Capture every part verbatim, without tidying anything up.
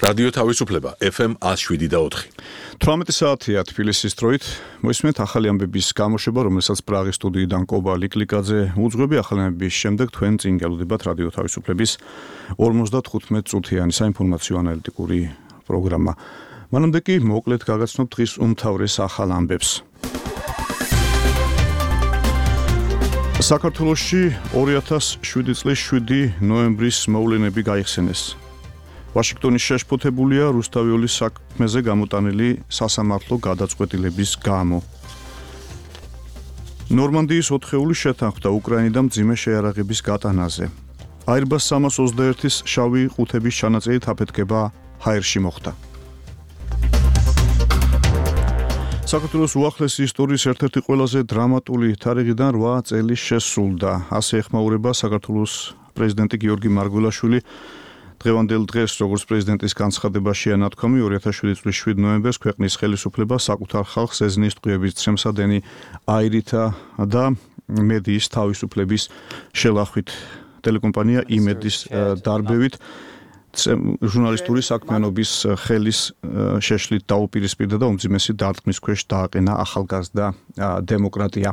რადიო თავისუფლება ეფ ემ one oh seven და four. თვრამეტი საათია თბილისის დროით. მოისმენთ ახალი ამბების გამოშვება, რომელსაც პრაღის სტუდიიდან კობა ლიკლიკაძე უძღვები. ახალი ამბების შემდეგ თქვენ წინ გელოდებათ რადიო თავისუფლების ორმოცდათხუთმეტ წუთიანი საინფორმაციო ანალიტიკური პროგრამა. მანამდე კი მოკლედ გაგაცნობთ დღის უმთავრეს ახალ ამბებს. საქართველოში ორი ათას შვიდი წლის შვიდი ნოემბრის მოვლენები გაიხსენეს. ვაშინგტონის შეშფოთებულია რუსთავიოლის საქმეზე გამოტანილი სასამართლო გადაწყვეტილების გამო. ნორმანდიის ოთხეული შეთანხმდა უკრაინიდან მძიმე შეიარაღების გატანაზე. აირბას სამას ოცდაერთის შავი ყუთების ჩანაწერით აფეთქება ჰაერში მოხდა. საქართველოს უახლესი ისტორიის ერთ-ერთი ყველაზე დრამატული თარიღიდან რვა წელი შესრულდა. ასე ეხმაურება საქართველოს პრეზიდენტი გიორგი მარგველაშვილი. დღევანდელ დღეს, როგორც პრეზიდენტის განცხადებაში ანათქვამი, ორი ათას შვიდი წლის შვიდ ნოემბერს ქვეყნის ხელისუფლება საკუთარ ხალხს ეზნის ტყვიების ცრემსადენი აირითა და მედიის თავისუფლების შელახვით. ტელეკომპანია იმედის დარბევით ჟურნალისტური საქმიანობის ხელის შეშლით დაუპირისპირდა და უმძიმესი დარტყმის ქვეშ დააყენა ახალგაზრდა დემოკრატია.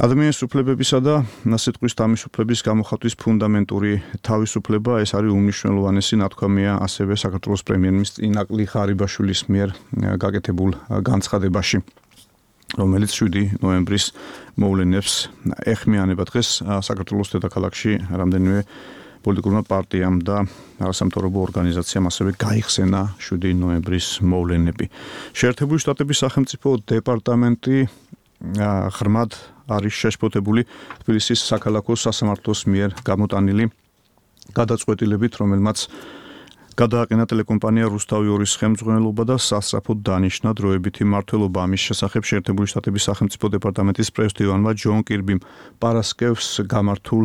ადამიანის უფლებებისა და სიტყვის თავისუფლების გამოხატვის ფუნდამენტური თავისუფლება, ეს არის უმნიშვნელოვანესი ნათქვამია ასევე საქართველოს პრემიერ-მინისტრის ინაკლი ღარიბაშვილის მიერ გაკეთებულ განცხადებაში, რომელიც შვიდი ნოემბრის მოვლენებს ეხმიანება. დღეს საქართველოს დედაქალაქში რამდენიმე პოლიტიკურმა პარტიამ და არასამთავრობო ორგანიზაციამ ასევე გაიხსენა შვიდი ნოემბრის მოვლენები. შეერთებული შტატების სახელმწიფო დეპარტამენტი ღრმად არის შეშფოთებული თბილისის საქალაქო სასამართლოს მიერ გამოტანილი გადაწყვეტილებით, რომელმაც გადააყენა ტელეკომპანია რუსთავიორის ხელმძღვანელობა და სასწრაფოდ დანიშნა დროებითი მმართველობა. ამის შესახებ შეერთებული შტატების სახელმწიფო დეპარტამენტის პრეზიდენტმა ჯონ კირბიმ პარასკევს გამართულ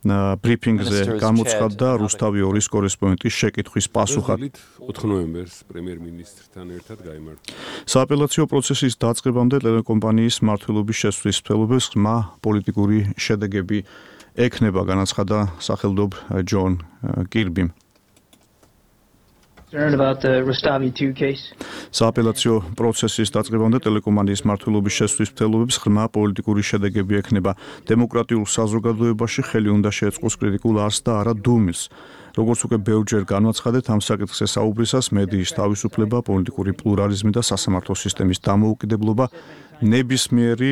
ბრიფინგზე გამოცხადდა რუსთავიორის კორესპონდენტის შეკითხვის პასუხად. ოთხ ნოემბერს პრემიერ-მინისტრთან ერთად გაიმართა. სააპელაციო პროცესის დაწყებამდე ტელეკომპანიის მმართველობის შესვლის მსვლელობებს ღრმა პოლიტიკური შედეგები ექნება, განაცხადა სახელმწიფო ჯონ კირბიმ. სააპელაციო პროცესის დაწყებამდე ტელეკომპანიის მმართველობის შესვლის მსვლელობებს ღრმა პოლიტიკური შედეგები ექნება. დემოკრატიულ საზოგადოებაში ხელი უნდა შეეწყოს კრიტიკულ არსს და არა დუმილს. როგორც უკვე ბევრჯერ განაცხადეთ, ამ საკითხზე საუბრისას მედიის თავისუფლება, პოლიტიკური პლურალიზმი და სასამართლო სისტემის დამოუკიდებლობა ნებისმიერი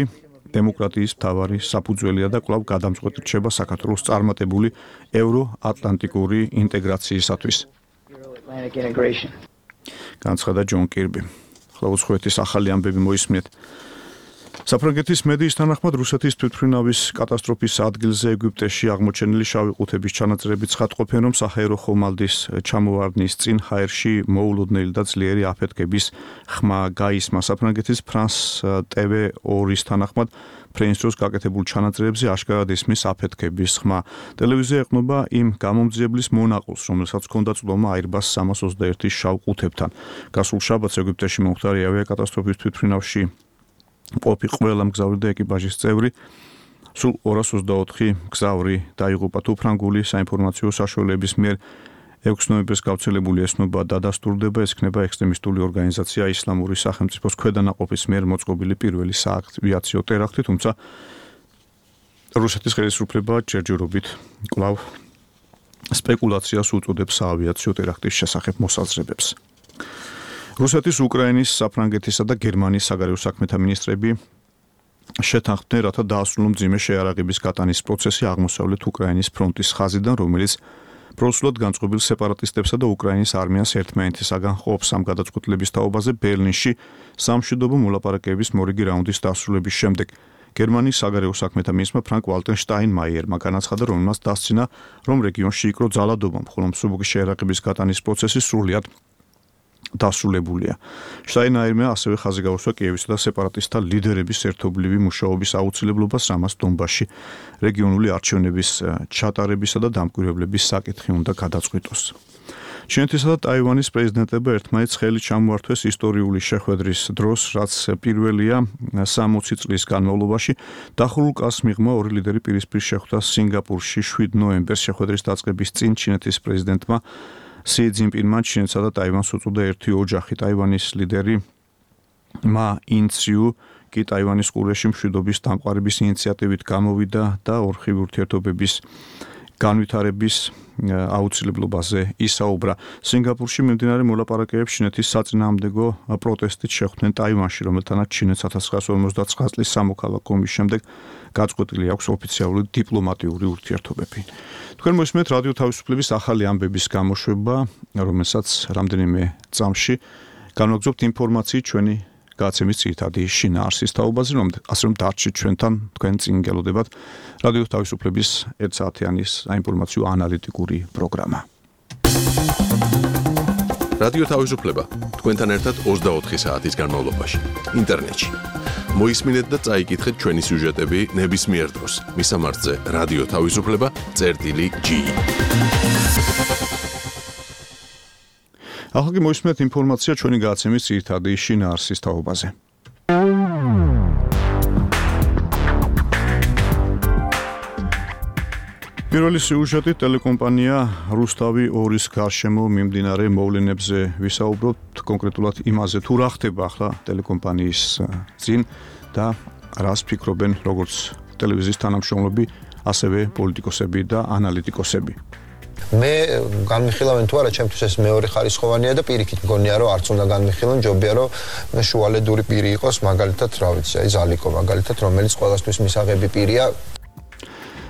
დემოკრატიის მთავარი საფუძველია და კვლავ გადამწყვეტი რჩება საქართველოს წარმატებული ევროატლანტიკური ინტეგრაციისათვის. განაცხადა ჯონ კირბი. ახლა უცხოეთის ახალი ამბები მოისმენთ. საფრანგეთის მედიის თანახმად რუსეთის თვითმფრინავის კატასტროფის ადგილზე ეგვიპტეში აღმოჩენილი შავი ყუთების ჩანაწერები ცხადყოფენ, რომ საჰაერო ხომალდის ჩამოვარდნის წინ ჰაერში მოულოდნელი და ძლიერი აფეთქების ხმა გაისმა. საფრანგეთის ფრანს ტევ ორი-ის თანახმად ფრენსროს გაკეთებულ ჩანაწერებზე აშკარად ისმის აფეთქების ხმა. ტელევიზია ეყრდნობა იმ გამომძიებლის მონაყულს, რომელსაც ჰქონდა წვდომა აირბას სამას ოცდაერთის შავ ყუთებთან. გასულ შაბათს ეგვიპტეში მომხდარი ავიაკატასტროფის თვითმფრინავში ყოფი ყველა მგზავრი და ეკიპაჟის წევრი, სულ ორას ოცდაოთხი მგზავრი დაიღუპა. თუ ფრანგული საინფორმაციო საშუალებების მიერ ექვსი ნოემბერს გავრცელებული ესნობა დადასტურდება, ეს იქნება ექსტრემისტული ორგანიზაცია ისლამური სახელმწიფოს ქვედანაყოფის მიერ მოწყობილი პირველი საავიაციო ტერაქტი, თუმცა რუსეთის ხელისუფლება ჯერჯერობით კვლავ სპეკულაციას უწოდებს საავიაციო ტერაქტის შესახებ მოსაზრებებს. რუსეთის, უკრაინის, საფრანგეთისა და გერმანიის საგარეო საქმეთა მინისტრები შეთანხმდნენ, რათა დაასრულონ მძიმე შეიარაღების გატანის პროცესი აღმოსავლეთ უკრაინის ფრონტის ხაზიდან, რომელიც პროსულად განწყობილ სეპარატისტებსა და უკრაინის არმიას ერთმანეთისაგან ყოფს. ამ გადაწყვეტილების თაობაზე ბერლინში სამშვიდობო მოლაპარაკებების მორიგი რაუნდის დასრულების შემდეგ გერმანიის საგარეო საქმეთა მინისტრმა ფრანკ ვალტერ შტაინმაიერმა განაცხადა, რომელმაც დასცინა, რომ რეგიონში იქრო ძალადობა, ხოლო მსუბუქი შეიარაღების გატანის პროცესი სრულიად დასრულებულია. შტაინმაიერმა ასევე ხაზი გაუსვა კიევისა და სეპარატისტთა ლიდერების ერთობლივი მუშაობის აუცილებლობას, რამაც დონბასში რეგიონული არჩევნების ჩატარებისა და დამკვირვებლების საკითხი უნდა გადაწყვიტოს. ჩინეთისა და ტაივანის პრეზიდენტებმა ერთმანეთს ხელი ჩამოართვეს ისტორიული შეხვედრის დროს, რაც პირველია სამოცი წლის განმავლობაში. დახურულ კალს მიღმა ორი ლიდერი პირისპირ შეხვდა სინგაპურში შვიდ ნოემბერს. შეხვედრის დაწყების წინ ჩინეთის პრეზიდენტმა სი ძინპინმა ჩინეთსა და ტაივანს უწოდა ერთი ოჯახი. ტაივანის ლიდერი მა ინციუ კი ტაივანის ყურეში მშვიდობის დამყარების ინიციატივით გამოვიდა და ორხივი ურთიერთობების განვითარების აუცილებლობაზე ისაუბრა. სინგაპურში მიმდინარე მოლაპარაკებებში ჩინეთის საწინააღმდეგო პროტესტით შეხვდნენ ტაივანში, რომელთანაც ჩინეთს ოთხ ათას ორმოცდაცხრა წლის სამოქალაქო ომის შემდეგ გაწყვეტილი აქვს ოფიციალური დიპლომატიური ურთიერთობები. თქვენ მოსმენთ რადიო თავისუფლების ახალი ამბების გამოშვება, რომელსაც რამდენიმე წამში განვაგრძობთ ინფორმაციით ჩვენი გაცემის ძირითადი შინაარსის თაობაზე, რომ ასე რომ დარჩით ჩვენთან, თქვენ წინ გელოდებათ რადიო თავისუფლების ერთ საათიანის საინფორმაციო ანალიტიკური პროგრამა. რადიო თავისუფლება თქვენთან ერთად ოცდაოთხი საათის განმავლობაში ინტერნეტში. მოისმინეთ და წაიკითხეთ ჩვენი სიუჟეტები ნებისმიერ დროს. მისამართზე რადიო თავისუფლება წერტილი ჯი. ახლა კი მოისმენთ ინფორმაცია ჩვენი გაცემის ძირითადი შინაარსის თაობაზე. პირველი სიუჟეტი ტელეკომპანია რუსთავი ორის გარშემო მიმდინარე მოვლენებზე ვისაუბროთ, კონკრეტულად იმაზე თუ რა ხდება ახლა ტელეკომპანიის წინ და რას ფიქრობენ როგორც ტელევიზიის თანამშრომლები, ასევე პოლიტიკოსები და ანალიტიკოსები. მე განმიხილავენ თუ არა, ჩემთვის ეს მეორე ხარისხოვანია და პირიქით მგონია რომ არც უნდა განმიხილონ, ჯობია რომ შუალედური პირი იყოს, მაგალითად, რა ვიცი, აი ზალიკო მაგალითად, რომელიც ყველასთვის მისაღები პირია.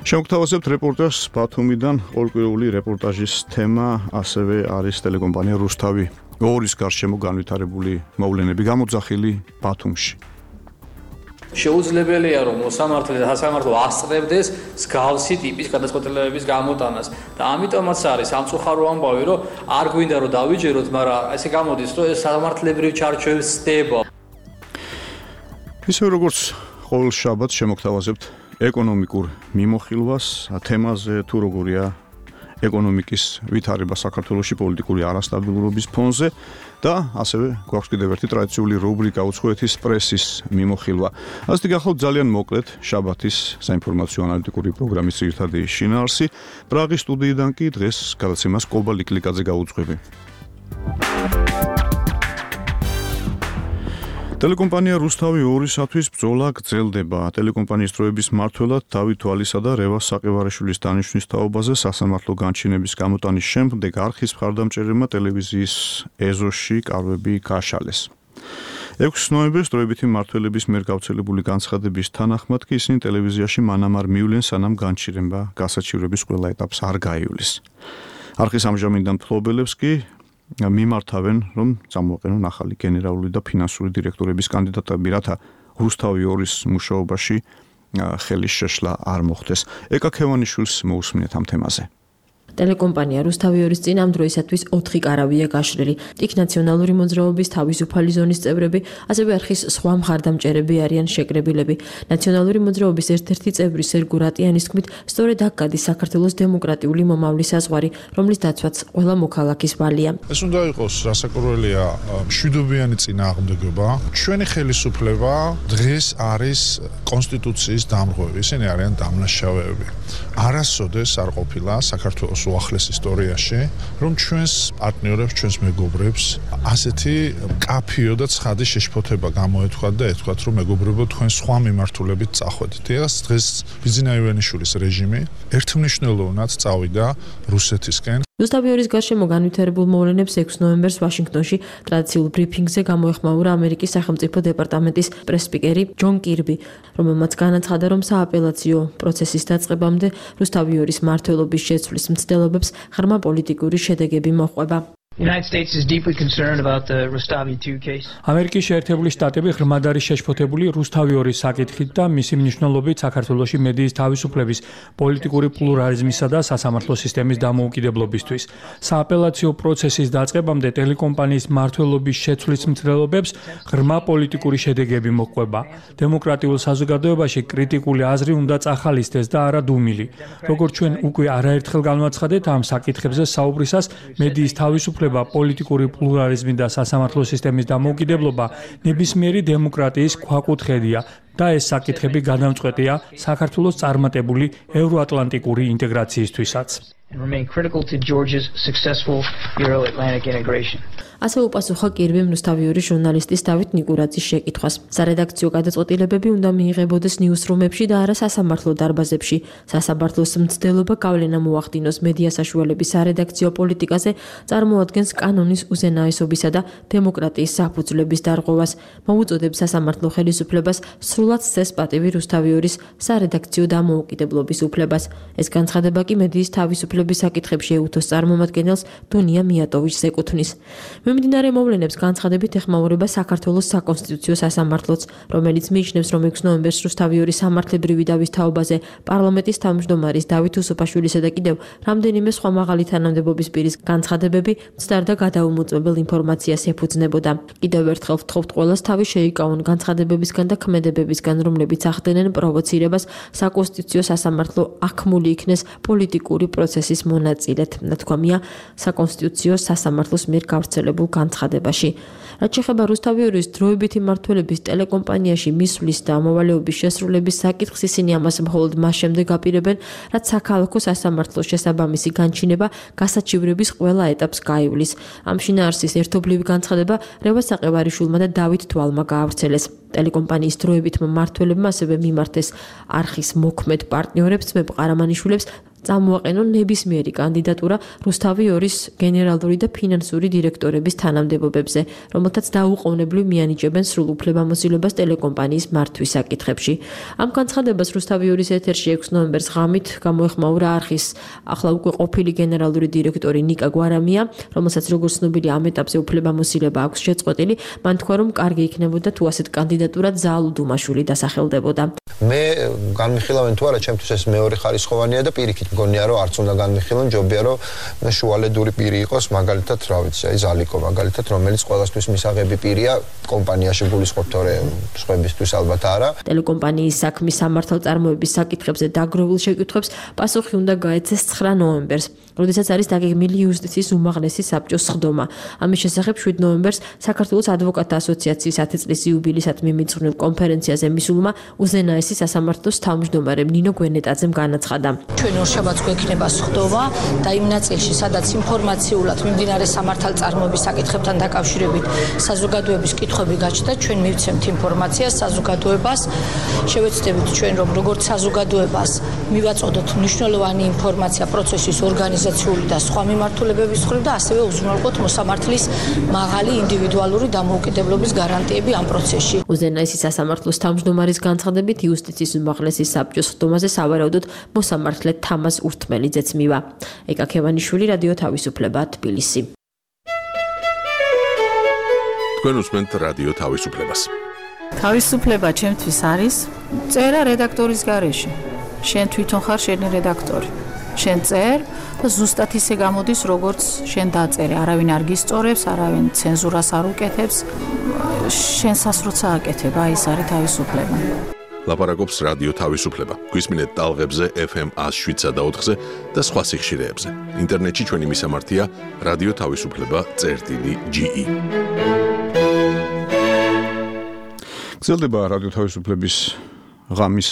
შევგთავაზებთ რეპორტაჟს ბათუმიდან, ყოველკვირეული რეპორტაჟის თემა ასევე არის ტელეკომპანია რუსთავი ორის გარშემო განვითარებული მოვლენები გამოძახილი ბათუმში. შეუძლებელია რომ მოსამართლე და სასამართლო ასწრებდეს მსგავსი ტიპის გადაწყვეტილებების გამოტანას და ამიტომაც არის სამწუხარო ამბავი, რომ არ გვინდა რომ დავიჯეროთ, მაგრამ ესე გამოდის, რომ ეს სამართლებრივ ჩარჩოებს სდება. ისე როგორც ყოველ შაბათს შემოგთავაზებთ ეკონომიკურ მიმოხილვას თემაზე თუ როგორია ეკონომიკის ვითარება საქართველოში პოლიტიკური არასტაბილურობის ფონზე და ასევე გვაქვს კიდევ ერთი ტრადიციული რუბრიკა უცხოეთის პრესის მიმოხილვა. ასეთი გახლავთ ძალიან მოკლედ შაბათის საინფორმაციო ანალიტიკური პროგრამის ძირითადი შინაარსი. პრაღის სტუდიიდან კი დღეს გადაცემას კობა ლიკლიკაძე გაუძღვები. ტელეკომპანია რუსთავი ორისათვის ბრძოლა გრძელდება. ტელეკომპანიის დროების მმართველად დავით თვალისა და რევას საყივარაშვილის დანიშვნის თაობაზე სასამართლო განჩინების გამოტანის შემდეგ არხის მხარდამჭერებმა ტელევიზიის ეზოში კარვები გააშალეს. ექვსი ნოემბერს დროებითი მმართველების მიერ გავრცელებული განცხადების თანახმად კი ისინი ტელევიზიაში მანამ არ მივლენ, სანამ განჩინება გასაჩივრების ყველა ეტაპს არ გაივლის. არხის ამჟამინდელ მფლობელებს კი მიმართავენ, რომ წამოაყენონ ახალი გენერალური და ფინანსური დირექტორების კანდიდატები, რათა რუსთავი ორის მუშაობაში ხელის შეშლა არ მოხდეს. ეკა ქევანიშვილს მოусმინეთ ამ თემაზე. ტელეკომპანია რუსთავი ორის წინ ამ დროისათვის ოთხი კარავია გაშლილი. იქ ნაციონალური მოძრაობის თავისუფალი ზონის წევრები, ასევე არხის სხვა მხარდამჭერები არიან შეკრებილები. ნაციონალური მოძრაობის ერთ-ერთი წევრი სერგო რატიანის თქმით, სწორედ აქ გადის საქართველოს დემოკრატიული მომავლის საზღვარი, რომლის დაცვაც ყველა მოქალაქის ვალია. ეს უნდა იყოს რასაკვირველია მშვიდობიანი წინააღმდეგობა. ჩვენი ხელისუფლება დღეს არის კონსტიტუციის დამრღვევი, ისინი არიან დამნაშავეები. არასოდეს არ ყოფილა საქართველოს უახლეს ისტორიაში, რომ ჩვენს პარტნიორებს, ჩვენს მეგობრებს ასეთი კაფიო და ცხადი შეშფოთება გამოეთქვათ და ეთქვათ, რომ მეგობრებო, თქვენ სხვა მიმართულებით წახვედით. ეს დღეს ბიზინა ივანიშვილის რეჟიმი ერთმნიშვნელოვნად წავიდა რუსეთისკენ. რუსთავი ორის გარშემო განვითარებულ მოვლენებს ექვსი ნოემბერს ვაშინგტონში ტრადიციულ ბრიფინგზე გამოეხმაურა ამერიკის სახელმწიფო დეპარტამენტის პრეს-სპიკერი ჯონ კირბი, რომელმაც განაცხადა, რომ სააპელაციო პროცესის დაწყებამდე რუსთავი ორის მმართველობის შეცვლის მცდელობებს ღრმა პოლიტიკური შედეგები მოჰყვება. ამერიკის შეერთებული შტატები ღრმად არის შეშფოთებული რუსთავი ორის საკითხით და მისი მნიშვნელობით საქართველოში მედიის თავისუფლების, პოლიტიკური პლურალიზმისა და სასამართლო სისტემის დამოუკიდებლობისთვის. სააპელაციო პროცესის დაწყებამდე ტელეკომპანიის მმართველობის შეცვლის მცდელობებს ღრმა პოლიტიკური შედეგები მოჰყვება. დემოკრატიულ საზოგადოებაში კრიტიკული აზრი უნდა წახალისდეს და არა დუმილი. როგორც ჩვენ უკვე არაერთხელ განვაცხადეთ, ამ საკითხებზე საუბრისას მედიის თავისუფლება, პოლიტიკური პლურალიზმი და სასამართლო სისტემის დამოუკიდებლობა ნებისმიერი დემოკრატიის ქვაკუთხედია და ეს საკითხები გადამწყვეტია საქართველოს წარმატებული ევროატლანტიკური ინტეგრაციისთვისაც. and remain critical to Georgia's successful Euro-Atlantic integration. ასე უპასუხა კირბიმ რუსთავიორის ჟურნალისტის დავით ნიკურაძის შეკითხვას. სარედაქციო გადაწყვეტილებები უნდა მიიღებოდეს ნიუსრუმებში და არა სასამართლო დარბაზებში. სასამართლოს მცდელობა გავლენა მოახდინოს მედია საშუალების სარედაქციო პოლიტიკაზე, წარმოადგენს კანონის უზენაესობისა და დემოკრატიის საფუძვლების დარღვევას. მოუწოდებს სასამართლო ხელისუფლებას სრულად სცეს პატივი რუსთავიორის სარედაქციო დამოუკიდებლობის უფლებას. ეს განცხადება კი მედიის თავისუფლების საკითხებში ეუთოს წარმომადგენელს დუნია მიატოვიჩს ეკუთვნის. მიმდინარე მოვლენებს განცხადებით ეხმაურება საქართველოს საკონსტიტუციო სასამართლოც, რომელიც მიიჩნევს, რომ ექვსი ნოემბერს რუსთავიორის სამართლებრივი დავის თაობაზე პარლამენტის თავმჯდომარის დავით უსუფაშვილისა და კიდევ რამდენიმე სხვა მაღალი თანამდებობის პირის განცხადებები მცდარ და გადაუმოწმებელ ინფორმაციას ეფუძნებოდა. კიდევ ერთხელ ვთხოვთ ყველას თავი შეიკავონ განცხადებებისგან და ქმედებებისგან, რომლებიც ახდენენ პროვოცირებას საკონსტიტუციო სასამართლო აქმული იქნეს პოლიტიკური პროცესის მონაწილედ, ნათქვამია საკონსტიტუციო სასამართლოს მიერ გავრცელებულ განცხადებაში. რაც შეეხება რუსთავიორის დროებითი მმართველობის ტელეკომპანიაში მისვლის და მოვალეობის შესრულების საკითხს, ისინი ამას მხოლოდ მას შემდეგ აპირებენ, რაც საქალაქო სასამართლოს შესაბამისი განჩინება გასაჩივრების ყველა ეტაპს გაივლის. ამ შინაარსის ერთობლივი განცხადება რევაზ საყევარიშვილმა და დავით თვალმა გაავრცელეს. ტელეკომპანიის დროებითმა მმართველებმა ასევე მიმართეს არხის მოქმედ პარტნიორებს ძმებ ყარამანიშვილებს წამოაყენონ ნებისმიერი კანდიდატურა რუსთავიორის გენერალური და ფინანსური დირექტორების თანამდებობებზე, რომელთაც დაუყოვნებლივ მიანიჭებენ სრულ უფლებამოსილებას ტელეკომპანიის მართვის საკითხებში. ამ განცხადებას რუსთავიორის ეთერში ექვსი ნოემბერს ღამით გამოეხმაურა არხის ახლა უკვე ყოფილი გენერალური დირექტორი ნიკა გვარამია, რომელსაც როგორც ცნობილი ამ ეტაპზე უფლებამოსილება აქვს შეწყვეტილი, მან თქვა, რომ კარგი იქნებოდა თუ ასეთ კანდიდატურად ზაალუ დუმაშვილი დასახელდებოდა. მე განმიხილავენ თუ არა, ჩემთვის ეს მეორე ხარისხოვანია და პირიქით მგონია რომ არც უნდა განმიხილონ, ჯობია რომ შუალედური პირი იყოს, მაგალითად, რა ვიცი, აი ზალიკო მაგალითად, რომელიც ყველასთვის მისაღები პირია, კომპანიაში გულისხმობთ თორე სხვებისთვის ალბათ არა. ტელეკომპანიის საქმის სამართალწარმოების საკითხებზე დაგროვილ შეკითხვებს პასუხი უნდა გაეცეს ცხრა ნოემბერს, როდესაც არის დაგეგმილი იუსტიციის უმაღლესი საბჭოს სხდომა. ამის შესახებ შვიდ ნოემბერს საქართველოს ადვოკატთა ასოციაციის ათი წლის იუბილეისადმი მიმწყნელ კონფერენციაზე მისულმა უზენაესი სასამართლოს თავმჯდომარემ ნინო გვენეტაძემ განაცხადა. ჩვენ ორშაბათს გვექნება სხდომა და იმ ნაწილში, სადაც ინფორმაციულად მიმდინარე სამართალწარმოების საკითხებთან დაკავშირებით საზოგადოების კითხვები გაჩნდა, ჩვენ მივცემთ ინფორმაციას საზოგადოებას, შევეცდებით ჩვენ რომ როგორც საზოგადოებას მივაწოდოთ მნიშვნელოვანი ინფორმაცია პროცესის ორგანიზაციული და სხვა მიმართულებების მხრივ და ასევე უზრუნველყოთ მოსამართლის მაღალი ინდივიდუალური დამოუკიდებლობის გარანტიები ამ პროცესში. უზენაესი სასამართლოს თავმჯდომარის განცხადებით იუსტიციის უმაღლესი საბჭოს სხდომაზე სავარაუდოდ მოსამართლე თამაზ ურთმელიძეც მივა. ეკა ქევანიშვილი, რადიო თავისუფლება, თბილისი. თქვენ უსმენთ რადიო თავისუფლებას. თავისუფლება ჩემთვის არის წერა რედაქტორის გარეშე. შენ თვითონ ხარ შენი რედაქტორი. შენ წერ და ზუსტად ისე გამოდის, როგორც შენ დაწერე. არავინ არ გისწორებს, არავინ ცენზურას არ უკეთებს. შენსას როცა აკეთებ, აი ეს არის თავისუფლება. ლაპარაკობს რადიო თავისუფლება. გვისმინეთ ტალღებზე ეფ ემ ათს შვიდსა და ოთხზე და სხვა სიხშირეებზე. ინტერნეტში ჩვენი მისამართია რადიო თავისუფლება წერტილი ჯი ი. გრძელდება რადიო თავისუფლების ღამის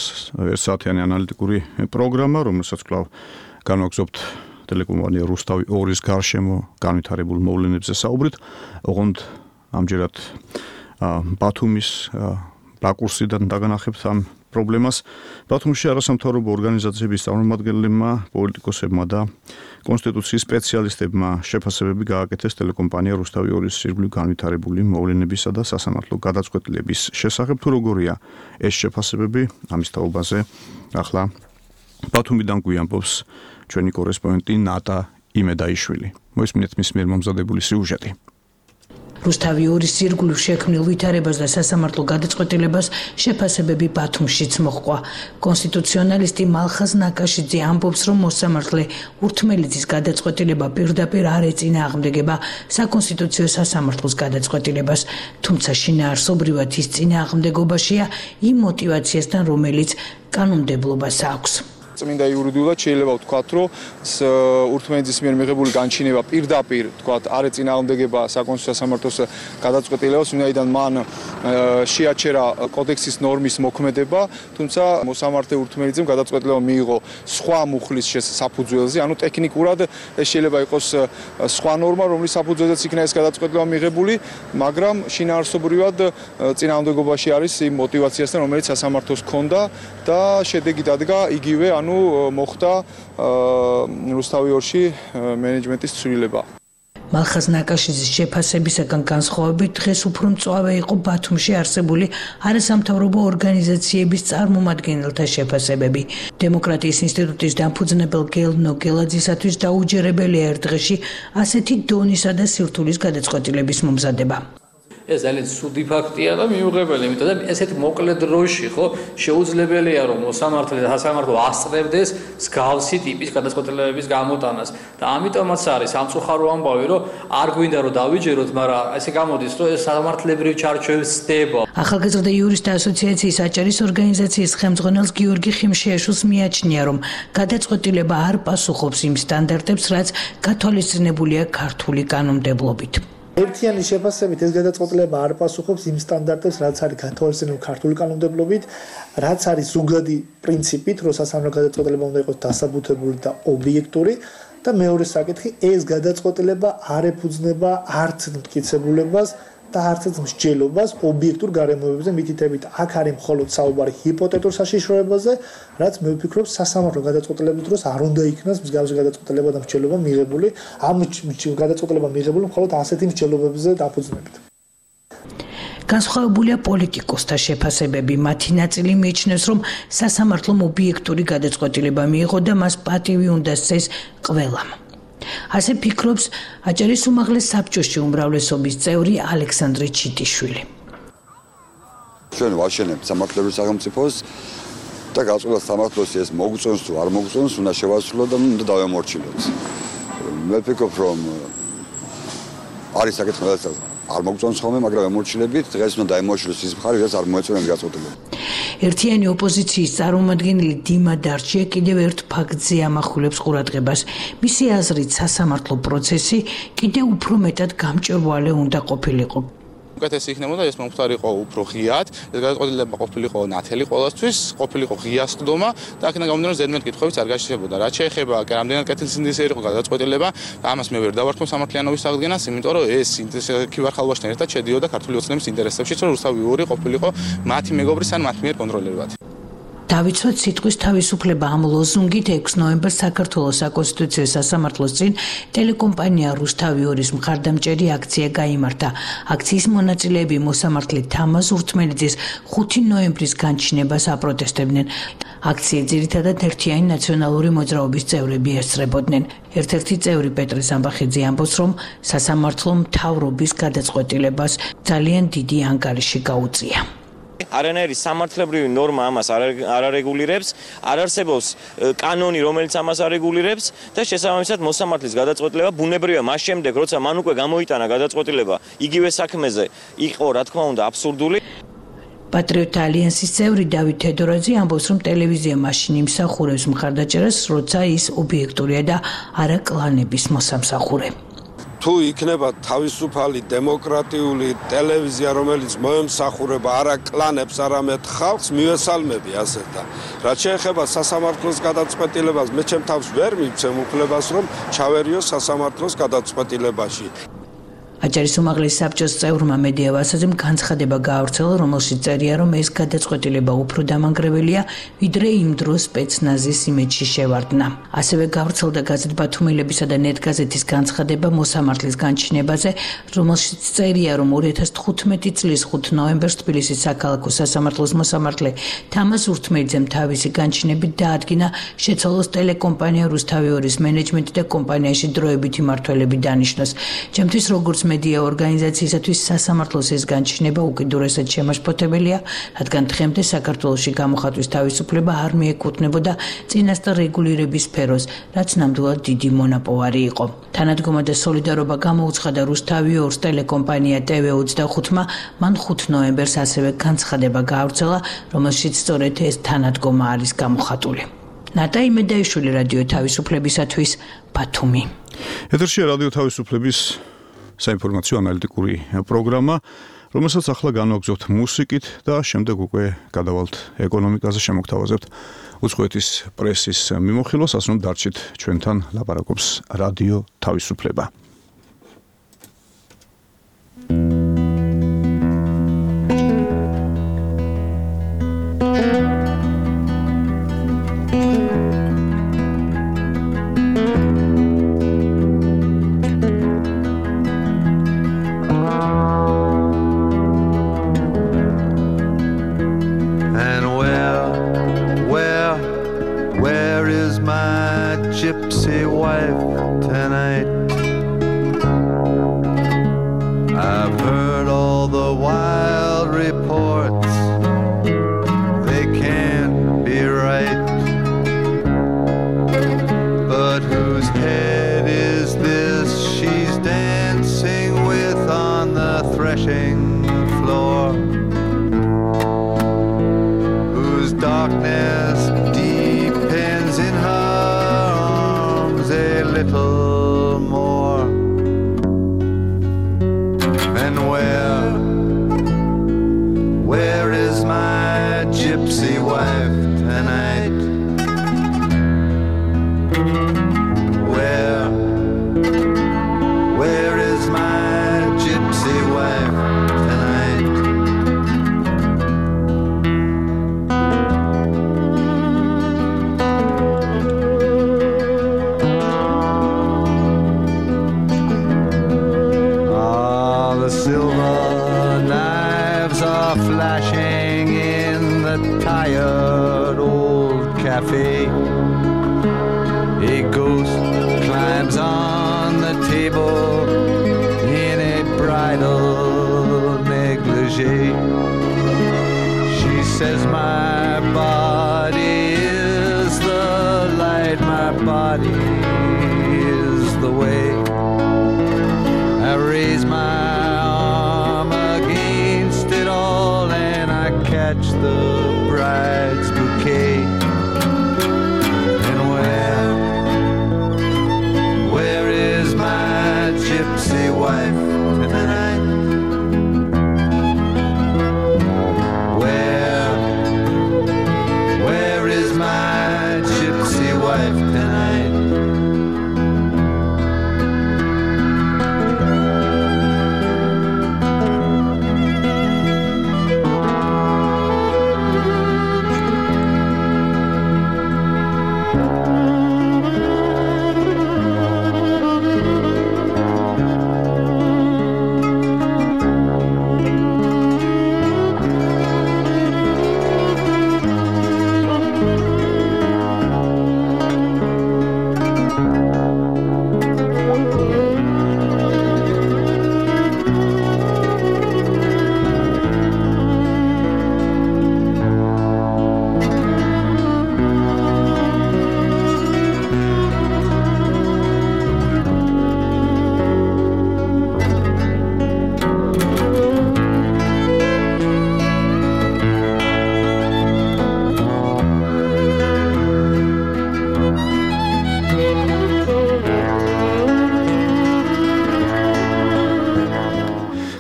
ერთ საათიანი ანალიტიკური პროგრამა, რომელსაც კვლავ განვაგრძობთ ტელეკომპანია რუსთავი ორის გარშემო განვითარებულ მოვლენებზე საუბრით. ოღონდ ამჯერად ბათუმის რაკურსიდან დაგანახებთ ამ პრობლემას. ბათუმში არასამთავრობო ორგანიზაციების წარმომადგენლებმა, პოლიტიკოსებმა და კონსტიტუციის სპეციალისტებმა შეფასებები გააკეთეს ტელეკომპანია რუსთავი ორის ირგვლივ განვითარებული მოვლენებისა და სასამართლო გადაწყვეტილების შესახებ. თუ როგორია ეს შეფასებები, ამის თაობაზე ახლა ბათუმიდან გვიამბობს ჩვენი კორესპონდენტი ნატა იმედაიშვილი. მოისმინეთ მის მიერ მომზადებული სიუჟეტი. რუსთავი ორის ირგვლივ შექმნილ ვითარებას და სასამართლო გადაწყვეტილებას შეფასებები ბათუმშიც მოჰყვა. კონსტიტუციონალისტი მალხაზ ნაკაშიძე ამბობს, რომ მოსამართლე ურთმელიძის გადაწყვეტილება პირდაპირ არ ეწინააღმდეგება საკონსტიტუციო სასამართლოს გადაწყვეტილებას, თუმცა შინაარსობრივად ის წინააღმდეგობაშია იმ მოტივაციასთან, რომელიც კანონმდებლობას აქვს. წმინდა იურიდიულად შეიძლება ვთქვათ, რომ ურთმენეთის მიერ მიღებული განჩინება პირდაპირ, ვთქვათ, არ ეწინააღმდეგება საკონსტიტუციო სასამართლოს გადაწყვეტილებას, ვინაიდან მან შეაჩერა კოდექსის ნორმის მოქმედება, თუმცა მოსამართლე ურთმენიძემ გადაწყვეტილება მიიღო სხვა მუხლის საფუძველზე, ანუ ტექნიკურად ეს შეიძლება იყოს სხვა ნორმა, რომლის საფუძველზეც იქნა ეს გადაწყვეტილება მიღებული, მაგრამ შინაარსობრივად წინააღმდეგობაში არის იმ мотивაციასთან, რომელიც სასამართლოს ჰქონდა და შედეგი დადგა იგივე, ანუ მოხდა რუსთავი ორში მენეჯმენტის ცვლილება. მალხაზ ნაკაშიძის შეფასებისაგან განსხვავებით დღეს უფრო მწვავე იყო ბათუმში არსებული არასამთავრობო ორგანიზაციების წარმომადგენელთა შეფასებები. დემოკრატიის ინსტიტუტის დამფუძნებელ გელნო გელაძისათვის დაუჯერებელია ერთ დღეში ასეთი დონისა და სირთულის გადაწყვეტილების მომზადება. ეს ძალიან ცუდი ფაქტია და მიუღებელი, იმიტომ რომ ესეთ მოკლე დროში ხო შეუძლებელია რომ მოსამართლე და სასამართლო ასწრებდეს მსგავსი ტიპის გადაწყვეტილებების გამოტანას და ამიტომაც არის სამწუხარო ამბავი რომ არ გვინდა რომ დავიჯეროთ, მაგრამ ესე გამოდის რომ ეს სამართლებრივ ჩარჩოებს ცდება. ახალგაზრდა იურისტთა ასოციაციის აჭარის ორგანიზაციის ხელმძღვანელს გიორგი ხიმშიაშვილს მიაჩნია რომ გადაწყვეტილება არ პასუხობს იმ სტანდარტებს, რაც გათვალისწინებულია ქართული კანონმდებლობით. ერთიანი შეფასებით ეს გადაწყვეტილება არ პასუხობს იმ სტანდარტებს, რაც არის გათვალისწინებული ქართული კანონმდებლობით, რაც არის ზოგადი პრინციპით, რომ სასამართლო გადაწყვეტილება უნდა იყოს დასაბუთებული და ობიექტური და მეორე საკითხი, ეს გადაწყვეტილება არ ეფუძნება არც მტკიცებულებას და არც მსჯელობას ობიექტურ გარემოებებზე, მითითებით აქ არის მხოლოდ საუბარი ჰიპოთეტურ საშიშროებაზე, რაც მე ვფიქრობ სასამართლო გადაწყვეტილების დროს არ უნდა იქნას მსგავსი გადაწყვეტილება და მსჯელობა მიღებული, ამ გადაწყვეტილება მიღებული მხოლოდ ასეთი მსჯელობებზე დაფუძნებით. განსხვავებულია პოლიტიკოსთა შეფასებები. მათი ნაწილი მიიჩნევს, რომ სასამართლომ ობიექტური გადაწყვეტილება მიიღო და მას პატივი უნდა სცეს ყველამ. ასე ფიქრობს აჭარის უმაღლეს საბჭოში უმრავლესობის წევრი ალექსანდრე ჩიტიშვილი. ჩვენ ვაშენებთ სამართლებრივ სახელმწიფოს და გაწყვეტილებას სამართლოს ეს მოგწონს თუ არ მოგწონს, უნდა შევასრულოთ და უნდა დავემორჩილოთ. მე ვფიქრობ, რომ არის საკითხი, რომელსაც არ მოგწონს ხოლმე, მაგრამ ემორჩილებით, დღეს უნდა დაემორჩილოს ის მხარე, რაც არ მოეწონა გადაწყვეტილება. ერთიანი ოპოზიციის წარმომადგენელი დიმა დარჩია კიდევ ერთ ფაქტზე ამახვილებს ყურადღებას. მისი აზრით სასამართლო პროცესი კიდევ უფრო მეტად გამჭვირვალე უნდა ყოფილიყო. უკეთესი იქნებოდა ეს მომხდარიყო უფრო ღიად, ეს გადაწყვეტილება ყოფილიყო ნათელი ყოველთვის, ყოფილიყო ღია სხდომა და აქედან გამომდინარე ზედმეტ კითხვებიც არ გაშიშებოდა. რაც შეეხება რამდენად კეთილსინდისე იყო გადაწყვეტილება, ამას მე ვერ დავარქმევ სამართლიანობის აღდგენას, იმიტომ რომ ეს ქივარხალვაშთან ერთად შედიოდა ქართული ოცნების ინტერესებშიც, რომ რუსთავი ორი ყოფილიყო მათი მეგობრის ან მათ მიერ კონტროლირებად. დავიცვათ სიტყვის თავისუფლება ამ ლოზუნგით ექვსი ნოემბერს საქართველოს საკონსტიტუციო სასამართლოს წინ ტელეკომპანია რუსთავი ორის მხარდამჭერი აქცია გაიმართა. აქციის მონაწილეები მოსამართლე თამაზ ურთმენიძის ხუთი ნოემბრის განჩინებას აპროტესტებდნენ. აქცია ძირითადად ერთიანი ნაციონალური მოძრაობის წევრები ესწრებოდნენ. ერთ-ერთი წევრი პეტრე სამბახიძე ამბობს, რომ სასამართლო მთავრობის გადაწყვეტილებას ძალიან დიდი ანგარიში გაუწია. არანაირი სამართლებრივი ნორმა ამას არ არეგულირებს, არ არსებობს კანონი, რომელიც ამას არეგულირებს და შესაბამისად მოსამართლის გადაწყვეტილება ბუნებრივია მას შემდეგ, როცა მან უკვე გამოიტანა გადაწყვეტილება იგივე საქმეზე, იყო რა თქმა უნდა აბსურდული. პატრიოტთა ალიანსის წევრი დავით თედორაძე ამბობს, რომ ტელევიზია მაშინ იმსახურებს მხარდაჭერას, როცა ის ობიექტურია და არა კლანების მოსამსახურე. თუ იქნება თავისუფალი დემოკრატიული ტელევიზია, რომელიც მოემსახურება არა კლანებს, არამედ ხალხს, მივესალმები ასეთ და რაც შეეხება სასამართლოს გადაწყვეტილებას, მე ჩემ თავს ვერ მივცემ უფლებას, რომ ჩავერიო სასამართლოს გადაწყვეტილებაში. აჭარის უმაღლეს საბჭოს წევრმა მედია ვასაძემ განცხადება გაავრცელა, რომელშიც წერია, რომ ეს გადაწყვეტილება უფრო დამანგრეველია, ვიდრე იმ დროს სპეცნაზის იმედში შევარდნა. ასევე გაავრცელდა გაზეთ ბათუმელებისა და ნეტგაზეთის განცხადება მოსამართლის განჩინებაზე, რომელშიც წერია, რომ ორი ათას თხუთმეტი წლის ხუთი ნოემბერს თბილისის საქალაქო სასამართლოს მოსამართლე თამაზ ურთმენიძემ თავისი განჩინებით დაადგინა შეცვალოს ტელეკომპანია რუსთავი ორის მენეჯმენტი და კომპანიაში დროებითი მმართველები დანიშნოს. ჩემთვის როგორც მედია ორგანიზაციისათვის სასამართლოს ეს განჩინება უკიდურესად შემაშფოთებელია, რადგან დღემდე საქართველოში გამოხატვის თავისუფლება არ მიეკუთვნებოდა წინასწარ რეგულირების სფეროს, რაც ნამდვილად დიდი მონაპოვარი იყო. თანადგომა და სოლიდარობა გამოუცხადა რუსთავი ორს ტელეკომპანია ტე ვე ოცდახუთმა, მან ხუთი ნოემბერს ასევე განცხადება გაავრცელა, რომელშიც სწორედ ეს თანადგომა არის გამოხატული. ნატა იმედაიშვილი რადიო თავისუფლებისათვის ბათუმი. ეთერშია რადიო თავისუფლების საინფორმაციო ანალიტიკური პროგრამა, რომელსაც ახლა განვაგრძობთ მუსიკით და შემდეგ უკვე გადავალთ ეკონომიკაზე, შემოგთავაზებთ უცხოეთის პრესის მიმოხილვას, ასე რომ დარჩით ჩვენთან, ლაპარაკობს რადიო თავისუფლება. Gypsy wife tonight. I've heard all the wild reports, they can't be right. But whose head is this she's dancing with on the threshing floor? Whose darkness depends in her a little more. And where, where is my gypsy wife tonight? Where, where is my gypsy wife tonight? Silver knives are flashing in the tired old cafe. A ghost climbs on the table in a bridal negligee. She says my body is the light, my body is the way. I raise my catch the bride's bouquet. And where, where is my gypsy wife tonight? Where, where is my gypsy wife tonight?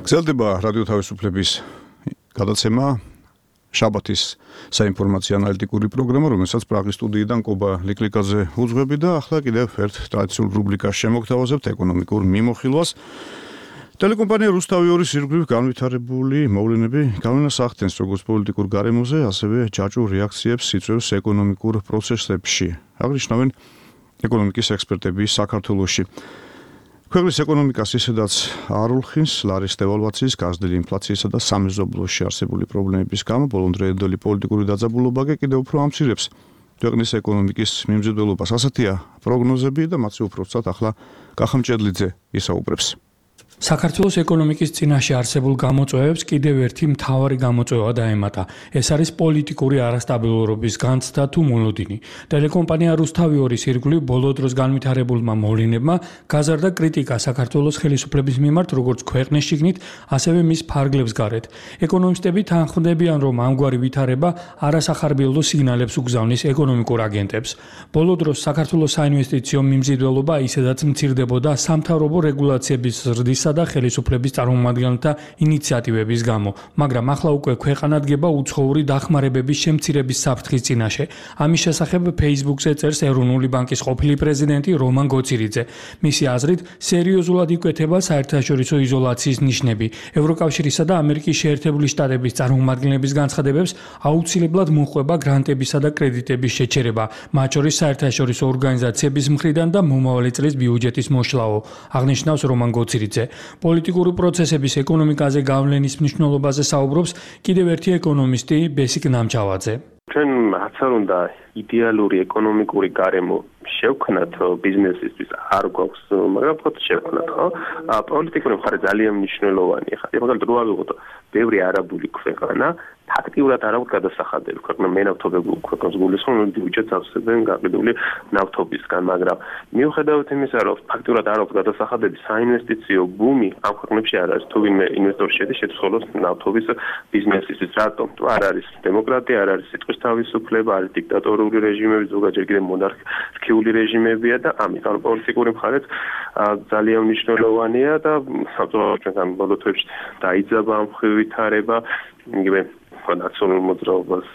გრძელდება რადიო თავისუფლების გადაცემა შაბათის საინფორმაციო ანალიტიკური პროგრამა, რომელსაც პრაღის სტუდიიდან კობა ლიკლიკაძე უძღვები და ახლა კიდევ ერთ ტრადიციულ რუბრიკას შემოგთავაზებთ ეკონომიკურ მიმოხილვას. ტელეკომპანია რუსთავი ორის ირგვლივ განვითარებული მოვლენები გავლენას ახდენს როგორც პოლიტიკურ გარემოზე, ასევე ჯაჭვურ რეაქციებს იწვევს ეკონომიკურ პროცესებში. აღნიშნავენ ეკონომიკის ექსპერტები საქართველოში. ქვეყნის ეკონომიკას ისედაც არ ულხინს ლარის დევალვაციის, გაზრდილი ინფლაციისა და სამეზობლოში არსებული პრობლემების გამო ბოლომდროინდელი პოლიტიკური დაძაბულობა კიდევ უფრო ამცირებს ქვეყნის ეკონომიკის მიმზიდველობას. ასეთია პროგნოზები და მათი უფრო ცოტ ახლა კახა მჭედლიძე ისაუბრებს. საქართველოს ეკონომიკის წინაშე არსებულ გამოწვევებს კიდევ ერთი მთავარი გამოწვევა დაემატა. ეს არის პოლიტიკური არასტაბილურობის განცდა თუ მოლოდინი. ტელეკომპანია რუსთავი ორის ირგვლივ ბოლო დროს განვითარებულმა მოვლენებმა გაზარდა კრიტიკა საქართველოს ხელისუფლების მიმართ როგორც ქვეყნის შიგნით, ასევე მის ფარგლებს გარეთ. ეკონომისტები თანხმდებიან, რომ ამგვარი ვითარება არასახარბიელო სიგნალებს უგზავნის ეკონომიკურ აგენტებს. ბოლო დროს საქართველოს საინვესტიციო მიმზიდველობა ისედაც მცირდებოდა სამთავრობო რეგულაციების ზრდის და ხელისუფლების წარმომადგენელთა ინიციატივების გამო, მაგრამ ახლა უკვე ქვეყანა დგება უცხოური დახმარებების შემცირების საფრთხის წინაშე. ამის შესახებ Facebook-ზე წერს ეროვნული ბანკის ყოფილი პრეზიდენტი რომან გოცირიძე. მისი აზრით, სერიოზულად იკვეთება საერთაშორისო იზოლაციის ნიშნები. ევროკავშირისა და ამერიკის შეერთებული შტატების წარმომადგენლების განცხადებებს აუცილებლად მოჰყვება გრანტებისა და კრედიტების შეჩერება, მათ შორის საერთაშორისო ორგანიზაციების მხრიდან და მომავალი წლის ბიუჯეტის მოშლაო, აღნიშნავს რომან გოცირიძე. პოლიტიკური პროცესების ეკონომიკაზე გავლენის მნიშვნელობაზე საუბრობს კიდევ ერთი ეკონომისტი ბესიკ ნამჩავაძე. ჩვენ რაც არ უნდა იდეალური ეკონომიკური გარემო შევქმნათ ბიზნესისთვის არ გვაქვს, მაგრამ ფოთ შევქმნათ, ხო? პოლიტიკური მხარე ძალიან მნიშვნელოვანია. ხა მაგალითად რო ავიღოთ ბევრი არაბული ქვეყანა ფაქტიურად არ აქვს გადასახადები ქვეყნა მენავთობებულ ქვეყნებს გულისხმობენ ბიუჯეტს ავსებენ გაყიდული ნავთობისგან, მაგრამ მიუხედავად იმისა, რომ ფაქტიურად არ აქვს გადასახადები, საინვესტიციო ბუმი ამ ქვეყნებში არ არის. თუ ვინმე ინვესტორი შედის შეცვალოს ნავთობის ბიზნესისთვის, რატომ? თუ არ არის დემოკრატია, არ არის სიტყვის თავისუფლება, არის დიქტატორული რეჟიმები, ზოგადად კიდე მონარქიული რეჟიმებია და ამიტომ პოლიტიკური მხარეც ძალიან მნიშვნელოვანია და საბრძოლო ჩვენგან ბოლო თვეებში დაიძაბა ამ ვითარება, იგივე ნაციონალურ მოძრაობას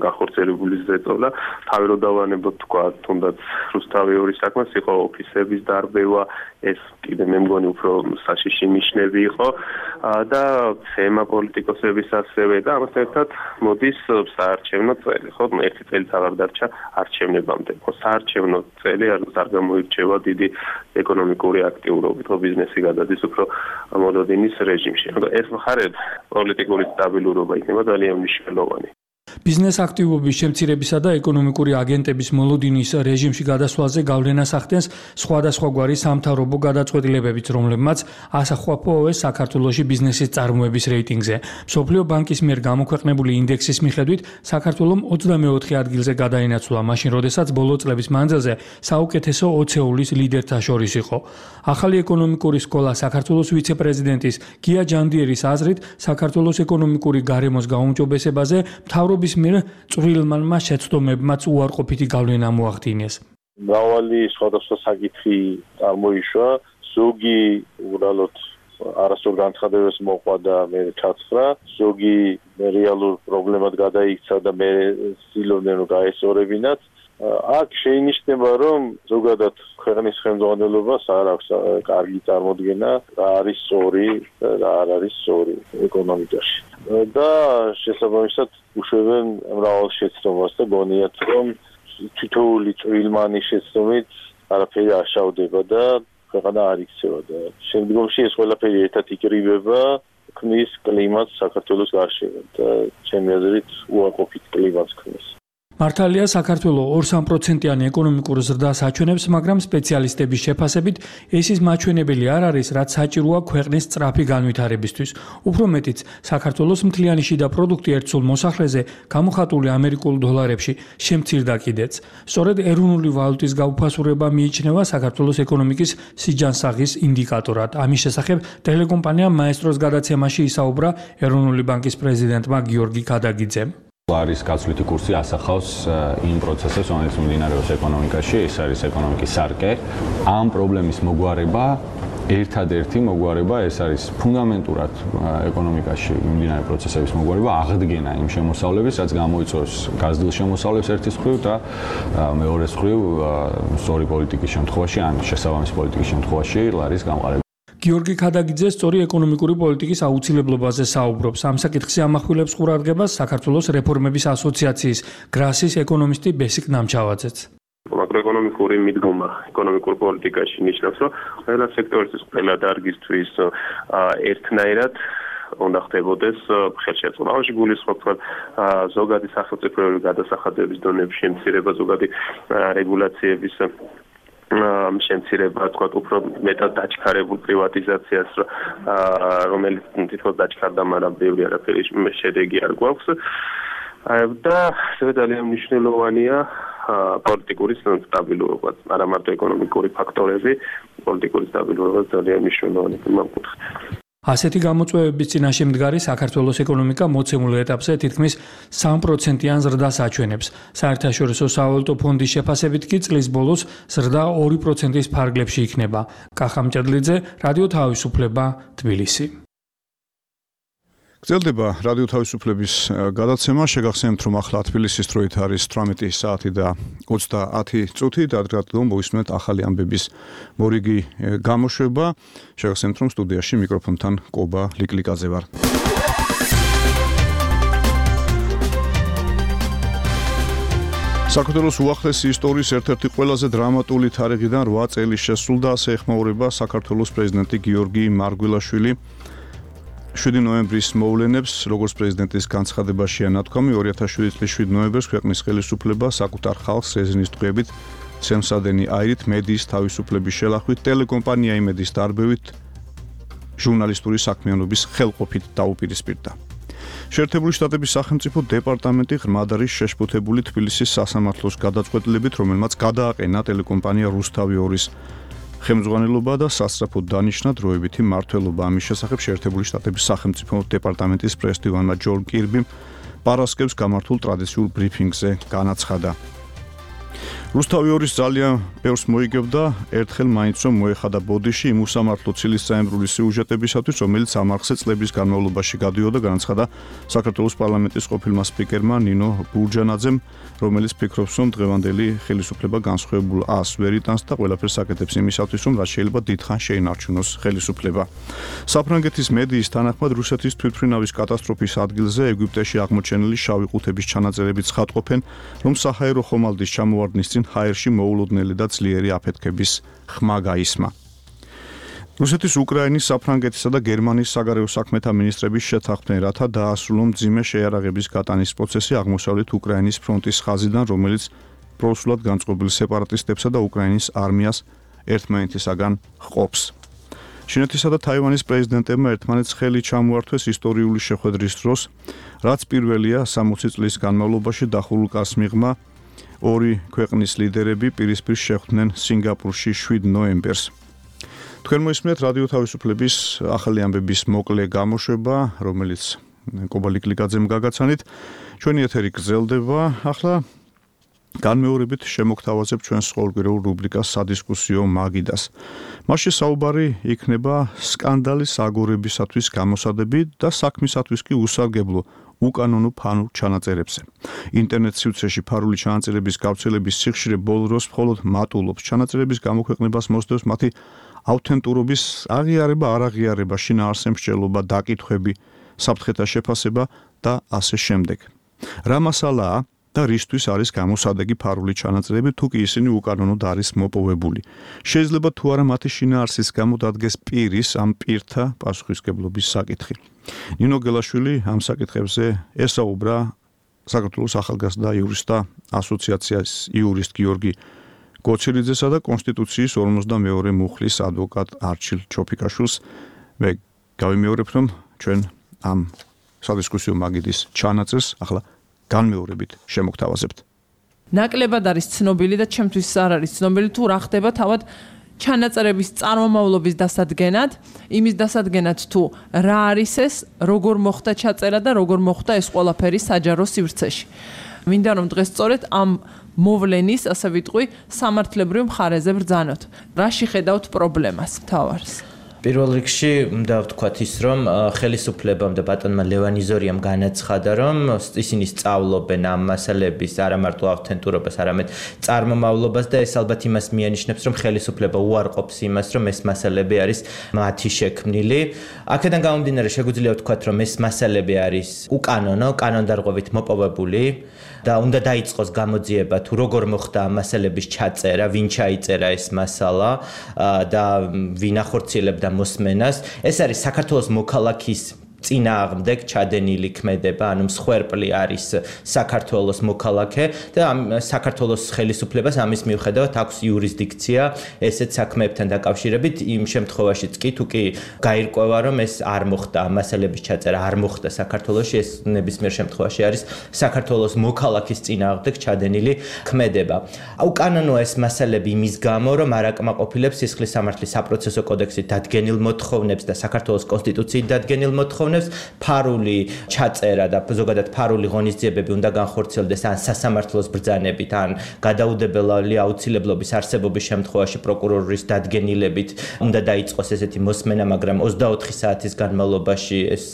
გახორციელებული ზეწოლა, თავი რო დავანებოთ თქვა, თუნდაც რუსთავი ორის საქმეს იყო ოფისების დარბევა, ეს კიდე მე მგონი უფრო საშიში ნიშნები იყო და თემა პოლიტიკოსების ასევე და ამასთან ერთად მოდის საარჩევნო წელი, ხო, ერთი წელიც აღარ დარჩა არჩევნებამდე. ხო, საარჩევნო წელი არ გამოირჩევა დიდი ეკონომიკური აქტიურობით, ხო, ბიზნესი გადადის უფრო მოლოდინის რეჟიმში. ეს მხარე პოლიტიკური სტაბილურობა იქნება ძალიან მნიშვნელოვანი. ბიზნეს აქტივობის შემცირებისა და ეკონომიკური აგენტების მოლოდინის რეჟიმში გადასვლაზე გავლენას ახდენს სხვადასხვაგვარი სამთავრობო გადაწყვეტილებებიც, რომლებმაც ასახვა-პოეს საქართველოში ბიზნესის წარმოების რეიტინგზე. მსოფლიო ბანკის მიერ გამოქვეყნებული ინდექსის მიხედვით საქართველომ ოცდამეოთხე ადგილზე გადაინაცვლა, მაშინ როდესაც ბოლო წლების მანძილზე საუკეთესო ოცეულის ლიდერთა შორის იყო. ახალი ეკონომიკური სკოლა საქართველოს ვიცე-პრეზიდენტის გია ჯანდიერის აზრით, საქართველოს ეკონომიკური გარემოს გაუმჯობესებაზე მთავრობის მიერ წვრილმანმა შეცდომებმაც უარყოფითი გავლენა მოახდინეს. მრავალი სხვადასხვა საკითხი წარმოიშვა, ზოგი უბრალოდ არასწორ განცხადებებს მოყვა და მე ჩაცხრა, ზოგი რეალურ პრობლემად გადაიქცა და მე ცდილობდნენ რომ გაესწორებინათ. აქ შეინიშნება, რომ ზოგადად ქვეყნის ხელმძღვანელობას არ აქვს კარგი წარმოდგენა, რა არის სწორი და რა არ არის სწორი ეკონომიკაში. და შესაბამისად უშვებენ მრავალ შეცდომას და გონიათ, რომ თითოეული წვრილმანი შეცდომით არაფერი არ შავდება და ქვეყანა არ იქცევა და შემდგომში ეს ყველაფერი ერთად იკრიბება, ქმნის კლიმატს საქართველოს გარშემო და ჩემი აზრით უარყოფით კლიმატს ქმნის. მართალია საქართველო ორ-სამ პროცენტიანი ეკონომიკურ ზრდას აჩვენებს, მაგრამ სპეციალისტების შეფასებით ეს ის მაჩვენებელი არ არის, რაც საჭიროა ქვეყნის სწრაფი განვითარებისთვის. უფრო მეტიც, საქართველოს მთლიანი შიდა პროდუქტი ერთ სულ მოსახლეზე გამოხატული ამერიკულ დოლარებში შემცირდა კიდეც. სწორედ ეროვნული ვალუტის გაუფასურება მიიჩნევა საქართველოს ეკონომიკის სიჯანსაღის ინდიკატორად. ამის შესახებ ტელეკომპანია მაესტროს გადაცემაში ისაუბრა ეროვნული ბანკის პრეზიდენტმა გიორგი ქადაგიძემ. არის გაცვლითი კურსი ასახავს იმ პროცესებს, რომელიც მიმდინარეობს ეკონომიკაში, ეს არის ეკონომიკის სარკე. ამ პრობლემის მოგვარება, ერთადერთი მოგვარება, ეს არის ფუნდამენტურად ეკონომიკაში მიმდინარე პროცესების მოგვარება, აღდგენა იმ შემოსავლების, რაც გამოიწვევს გაზრდილ შემოსავლებს ერთის მხრივ და მეორეს მხრივ სწორი პოლიტიკის შემთხვევაში, ან შესაბამისი პოლიტიკის შემთხვევაში ლარის გამყარება. გიორგი ქადაგიძე სწორი ეკონომიკური პოლიტიკის აუცილებლობაზე საუბრობს. ამ საკითხზე ამახვილებს ყურადღებას საქართველოს რეფორმების ასოციაციის გრასის ეკონომისტი ბესიკ ნამჩავაძეც. მაკროეკონომიკური მიდგომა ეკონომიკურ პოლიტიკაში ნიშნავს, რომ ყველა სექტორისთვის, ყველა დარგისთვის ერთნაირად უნდა ხდებოდეს ხელშეწყობაში გულისხმობთ ზოგადი სახელმწიფოებრივი გადასახადების დონების შემცირება, ზოგადი რეგულაციების შემცირება, თქვა, უფრო მეტად დაჩქარებულ პრივატიზაციას, რომელიც თითქოს დაჩქარდა, მაგრამ ბევრი არაფერი შედეგი არ გვაქვს. და ასევე ძალიან მნიშვნელოვანია პოლიტიკური სტაბილურობა, არა მარტო ეკონომიკური ფაქტორები, პოლიტიკური სტაბილურობა ძალიან მნიშვნელოვანია ამ კუთხით. ასეთი გამოწვევების წინაშე მდგარი საქართველოს ეკონომიკა მოცემულ ეტაპზე თითქმის სამი პროცენტიან ზრდას აჩვენებს. საერთაშორისო სავალუტო ფონდის შეფასებით კი წლის ბოლოს ზრდა ორი პროცენტის ფარგლებში იქნება. კახა მჭედლიძე, რადიო თავისუფლება, თბილისი. გრძელდება რადიო თავისუფლების გადაცემა. შეგახსენებთ, რომ ახლა თბილისის დროით არის თვრამეტი საათი და ოცდაათი წუთი და ადრე მოვისმენთ ახალი ამბების მორიგი გამოშვება. შეგახსენებთ, რომ სტუდიაში მიკროფონთან კობა ლიკლიკაძე ვარ. საქართველოს უახლესი ისტორიის ერთ-ერთი ყველაზე დრამატული თარიღიდან რვა წელი შესრულდა, ასე ეხმაურება საქართველოს პრეზიდენტი გიორგი მარგველაშვილი. შვიდი ნოემბრის მოვლენებს, როგორც პრეზიდენტის განცხადებაშია ნათქვამი, ორი ათას შვიდი წლის შვიდი ნოემბერს ქვეყნის ხელისუფლება საკუთარ ხალხს რეზინის ტყვიებით, სემსადენი აირით, მედიის თავისუფლების შელახვით, ტელეკომპანია იმედის დარბევით, ჟურნალისტური საქმიანობის ხელყოფით დაუპირისპირდა. შეერთებული შტატების სახელმწიფო დეპარტამენტი ღრმად არის შეშფოთებული თბილისის სასამართლოს გადაწყვეტილებით, რომელმაც გადააყენა ტელეკომპანია რუსთავი ორის ხელმძღვანელობა და სასწრაფოდ დანიშნა დროებითი მმართველობა. ამის შესახებ შეერთებული შტატების სახელმწიფო დეპარტამენტის პრეზიდენტმა ჯონ კირბიმ პარასკევს გამართულ ტრადიციულ ბრიფინგზე განაცხადა. რუსთავი ორის ძალიან ბევრს მოიგებდა, ერთხელ მაინც რომ მოეხადა ბოდიში იმ უსამართლო ცილისწაემრული სიუჟეტებისათვის, რომელიც ამ არხზე წლების განმავლობაში გადიოდა, განაცხადა საქართველოს პარლამენტის ყოფილმა სპიკერმა ნინო ბურჯანაძემ, რომელიც ფიქრობს, რომ დღევანდელი ხელისუფლება განსხვავებულ ას ვერ იტანს და ყველაფერს აკეთებს იმისათვის, რომ რაც შეიძლება დიდხანს შეინარჩუნოს ხელისუფლება. საფრანგეთის მედიის თანახმად რუსეთის თვითმფრინავის კატასტროფის ადგილზე ეგვიპტეში აღმოჩენილი შავი ყუთების ჩანაწერებით ცხადყოფენ, რომ საჰაერო ხომალდის ჩამოვარდნის წინ ჰაერში მოულოდნელი და ძლიერი აფეთქების ხმა გაისმა. რუსეთის, უკრაინის, საფრანგეთისა და გერმანიის საგარეო საქმეთა მინისტრების შეთანხმდნენ, რათა დაასრულონ მძიმე შეიარაღების გატანის პროცესი აღმოსავლეთ უკრაინის ფრონტის ხაზიდან, რომელიც პროსულად განწყობილ სეპარატისტებსა და უკრაინის არმიას ერთმანეთისაგან ჰყოფს. ჩინეთისა და თაივანის პრეზიდენტებმა ერთმანეთს ხელი ჩამოართვეს ისტორიული შეხვედრის დროს, რაც პირველია სამოცი წლის განმავლობაში დახურულ კარს მიღმა. ორი ქვეყნის ლიდერები პირისპირ შეხვდნენ სინგაპურში შვიდ ნოემბერს. თქვენ მოისმენთ რადიო თავისუფლების ახალი ამბების მოკლე გამოშვება, რომელიც კობა ლიკლიკაძემ გაგაცანით. ჩვენი ეთერი გრძელდება. ახლა განმეორებით შემოგთავაზებ ჩვენს ყოველკვირეულ რუბრიკას სადისკუსიო მაგიდას. მასში საუბარი იქნება სკანდალის აგორებისათვის გამოსადები და საქმისათვის კი უსარგებლო უკანონო ფანურ ჩანაწერებზე. ინტერნეტ სივრცეში ფარული ჩანაწერების გავრცელების სიხშირე ბოლო დროს მხოლოდ მატულობს. ჩანაწერების გამოქვეყნებას მოსდევს მათი ავთენტურობის აღიარება, არაღიარება, შინაარსზე მსჯელობა, დაკითხვები, საფრთხეთა შეფასება და ასე შემდეგ. რა მასალაა და რისთვის არის გამოსადეგი ფარული ჩანაწერები, თუ კი ისინი უკანონოდ არის მოპოვებული. შეიძლება თუ არა მათი შინაარსის გამო დადგეს პირის ამ პირთა პასუხისმგებლობის საკითხი. ნინო გელაშვილი ამ საკითხებზე ესაუბრა საქართველოს ახალგაზრდა იურისტთა ასოციაციის იურისტ გიორგი გოჩელიძესა და კონსტიტუციის ორმოცდამეორე მუხლის ადვოკატ არჩილ ჩოფიკაშვილს. მე გავიმეორებ, რომ ჩვენ ამ სადისკუსიო მაგიდის ჩანაწერს ახლა განმეორებით შემოგთავაზებთ. ნაკლებად არის ცნობილი და ჩემთვის არ არის ცნობილი თუ რა ხდება თავად ჩანაწერების წარმომავლობის დასადგენად, იმის დასადგენად თუ რა არის ეს, როგორ მოხდა ჩაწერა და როგორ მოხდა ეს ყველაფერი საჯარო სივრცეში. მინდა რომ დღეს სწორედ ამ მოვლენის, ასე ვიტყვი, სამართლებრივ მხარეზე ბრძანოთ. რაში ხედავთ პრობლემას მთავარს? პირველ რიგში უნდა ვთქვათ ის, რომ ხელისუფლებამ და ბატონმა ლევან იზორიამ განაცხადა, რომ ისინი სწავლობენ ამ მასალების არა მარტო ავთენტურობას, არამედ წარმომავლობას და ეს ალბათ იმას მიანიშნებს, რომ ხელისუფლება უარყოფს იმას, რომ ეს მასალები არის მათი შექმნილი. აქედან გამომდინარე შეგვიძლია ვთქვათ, რომ ეს მასალები არის უკანონო, კანონდარღვევით მოპოვებული და უნდა დაიწყოს გამოძიება თუ როგორ მოხდა ამ მასალების ჩაწერა, ვინ ჩაიწერა ეს მასალა და ვინ ახორციელებდა მოსმენას. ეს არის საქართველოს მოქალაქის წინააღმდეგ ჩადენილი ქმედება, ანუ მსხვერპლი არის საქართველოს მოქალაქე და ამ საქართველოს ხელისუფლებას ამის მიუხედავად აქვს იურისდიქცია ესეთ საქმეებთან დაკავშირებით იმ შემთხვევაშიც კი თუ კი გაირკვევა რომ ეს არ მოხდა მასალების ჩაწერა არ მოხდა საქართველოში ეს ნებისმიერ შემთხვევაში არის საქართველოს მოქალაქის წინააღმდეგ ჩადენილი ქმედება. უკანონოა ეს მასალები იმის გამო რომ არ აკმაყოფილებს სისხლის სამართლის საპროცესო კოდექსით დადგენილ მოთხოვნებს და საქართველოს კონსტიტუციით დადგენილ მოთხოვნებს ფარული ჩაწერა და ზოგადად ფარული ღონისძიებები უნდა განხორციელდეს ან სასამართლოს ბრძანებით ან გადაუდებელი აუცილებლობის არსებობის შემთხვევაში პროკურორის დადგენილებით უნდა დაიწყოს ესეთი მოსმენა, მაგრამ ოცდაოთხი საათის განმავლობაში ეს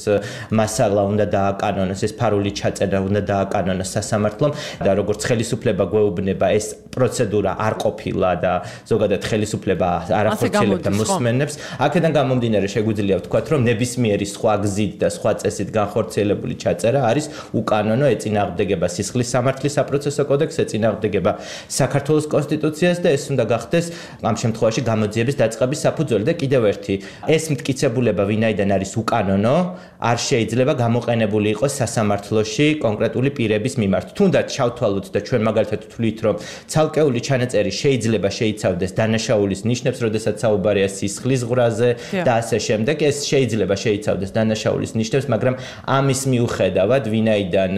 მასალა უნდა დააკანონოს, ეს ფარული ჩაწერა უნდა დააკანონოს სასამართლომ და როგორც ხელისუფლება გვეუბნება ეს პროცედურა არ ყოფილა და ზოგადად ხელისუფლება არ ახორციელებდა მოსმენებს. აქედან გამომდინარე შეგვიძლია ვთქვათ, რომ ნებისმიერი სხვა გზით და სხვა წესით განხორციელებული ჩაწერა არის უკანონო, ეწინააღმდეგება სისხლის სამართლის საპროცესო კოდექსს, ეწინააღმდეგება საქართველოს კონსტიტუციას და ეს უნდა გახდეს ამ შემთხვევაში გამოძიების დაწყების საფუძველი და კიდევ ერთი ეს მტკიცებულება ვინაიდან არის უკანონო, არ შეიძლება გამოყენებული იყოს სასამართლოში კონკრეტული პირების მიმართ. თუნდაც ჩავთვალოთ და ჩვენ მაგალითად ვთვლით, რომ ცალკეული ჩანაწერი შეიძლება შეიცავდეს დანაშაულის ნიშნებს, როდესაც საუბარია სისხლის ღრაზე და ასე შემდეგ, ეს შეიძლება შეიცავდეს დანაშაულის ნიშნებს, მაგრამ ამის მიუხედავად, ვინაიდან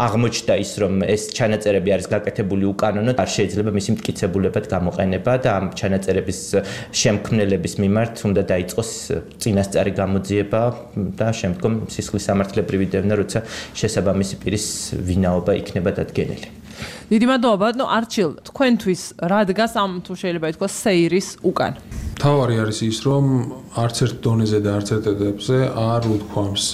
აღმოჩნდა ის, რომ ეს ჩანაწერები არის გაკეთებული უკანონო, არ შეიძლება მისი მტკიცებულებად გამოყენება და ამ ჩანაწერების შემქმნელების მიმართ უნდა დაიწყოს წინასწარი გამოძიება და შემდგომ სისხლის სამართლებრივი დევნა, როცა შესაბამისი პირის ვინაობა იქნება დადგენილი. დიდი მადლობა, ნუ არჩილ, თქვენთვის რა დგას ამ თუ შეიძლება ითქვას სეირის უკან? თავარი არის ის, რომ არც ერთ დონეზე და არც ერთ ეტაპზე არ უთქვამს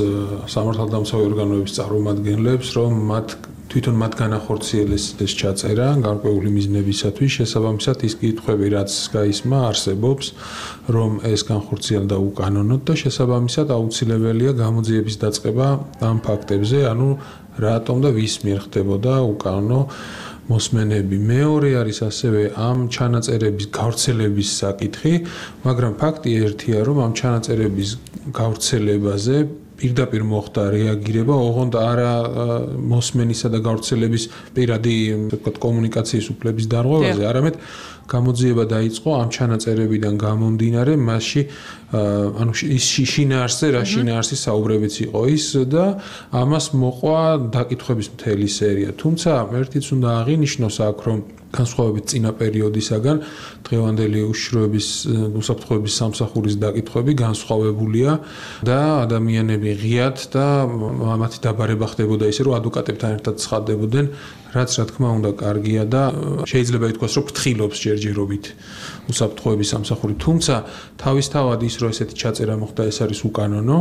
სამართალდამცავი ორგანოების წარმომადგენლებს, რომ მათ თვითონ მათ განახორციელეს ეს ჩაწერა გარკვეული მიზნებისათვის, შესაბამისად ის კითხვები, რაც გაისმა, არსებობს, რომ ეს განხორციელდა უკანონოდ და შესაბამისად აუცილებელია გამოძიების დაწყება ამ ფაქტებზე, ანუ რატომ და ვის მიერ ხდებოდა უკანონო მოსმენები. მეორე არის ასევე ამ ჩანაწერების გავრცელების საკითხი, მაგრამ ფაქტი ერთია, რომ ამ ჩანაწერების გავრცელებაზე პირდაპირ მოხდა რეაგირება, ოღონდ არა მოსმენისა და გავრცელების პირადი, ვთქვათ, კომუნიკაციის უფლების დარღვევაზე, არამედ გამოძიება დაიწყო ამ ჩანაწერებიდან გამომდინარე, მასში ანუ ის შინაარსზე, რა შინაარსის საუბრებიც იყო ის და ამას მოყვა დაკითხვების მთელი სერია. თუმცა ერთიც უნდა აღინიშნოს აქ, რომ განსხვავებით წინა პერიოდისაგან დღევანდელი უშიშროების უსაფრთხოების სამსახურის დაკითხვები განსხვავებულია და ადამიანები ღიად და მათი დაბარება ხდებოდა ისე, რომ ადვოკატებთან ერთად ცხადდებოდნენ, რაც რა თქმა უნდა კარგია და შეიძლება ითქვას, რომ ფრთხილობს ჯერჯერობით უსაფრთხოების სამსახური. თუმცა თავისთავად ის, რომ ესეთი ჩაწერა მოხდა, ეს არის უკანონო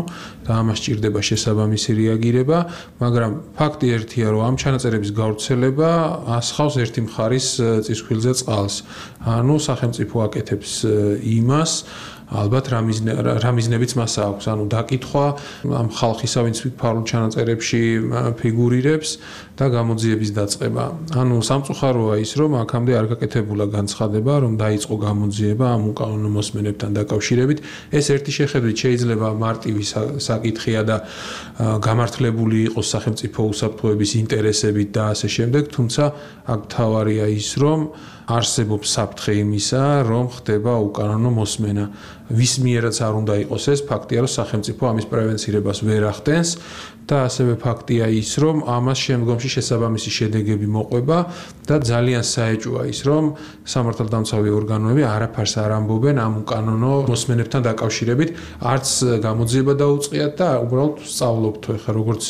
და ამას სჭირდება შესაბამისი რეაგირება, მაგრამ ფაქტი ერთია, რომ ამ ჩანაწერების გავრცელება ასხავს ერთი მხარის წისქვილზე წყალს. ანუ სახელმწიფო აკეთებს იმას, ალბათ რა მიზნებიც მას აქვს, ანუ დაკითხვა ამ ხალხისა, ვინც ფარულ ჩანაწერებში ფიგურირებს და გამოძიების დაწყება. ანუ სამწუხაროა ის, რომ აქამდე არ გაკეთებულა განცხადება, რომ დაიწყო გამოძიება ამ უკანონო მოსმენებთან დაკავშირებით. ეს ერთი შეხედვით შეიძლება მარტივი საკითხია და გამართლებული იყოს სახელმწიფო უსაფრთხოების ინტერესებით და ასე შემდეგ, თუმცა აქ მთავარია ის, რომ არსებობს საფრთხე იმისა, რომ ხდება უკანონო მოსმენა. ვის მიერაც არ უნდა იყოს ეს, ფაქტია, რომ სახელმწიფო ამის პრევენცირებას ვერ ახდენს და ასევე ფაქტია ის, რომ ამას შემდგომში შესაბამისი შედეგები მოყვება და ძალიან საეჭვოა ის, რომ სამართალდამცავი ორგანოები არაფერს არ ამბობენ ამ უკანონო მოსმენებთან დაკავშირებით, არც გამოძიება დაუწყიათ და უბრალოდ სწავლობთ ხა როგორც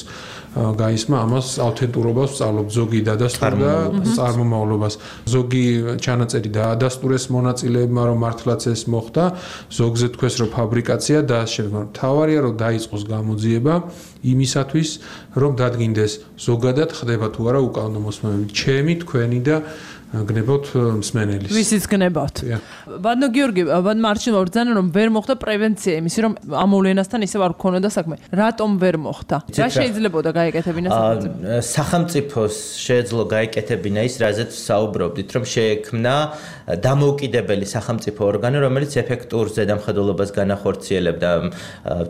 გაისმა ამას ავთენტურობას სწავლობ ზოგი დადასტურდა წარმომავლობას ზოგი ჩანაწერი დაადასტურეს მონაწილეებმა რომ მართლაც ეს მოხდა ზოგზე თქვეს რომ ფაბრიკაცია და შემდგომ თავარია რომ დაიწყოს გამოძიება იმისათვის რომ დადგინდეს ზოგადად ხდება თუ არა უკანონო მოსმენები ჩემი თქვენი და გნებავთ მსმენელის. ვისიც გნებავთ. ბატონო გიორგი, ბატონო მარჩილმა ბრძანა რომ ვერ მოხდა პრევენცია იმისი რომ ამ მოვლენასთან ისევ არ გქონოდა საქმე. რატომ ვერ მოხდა? რა შეიძლებოდა გაეკეთებინა სახელმწიფო? სახელმწიფოს შეეძლო გაეკეთებინა ის, რაზეც საუბრობდით, რომ შეექმნა დამოუკიდებელი სახელმწიფო ორგანო, რომელიც ეფექტურ ზედამხედველობას განახორციელებდა,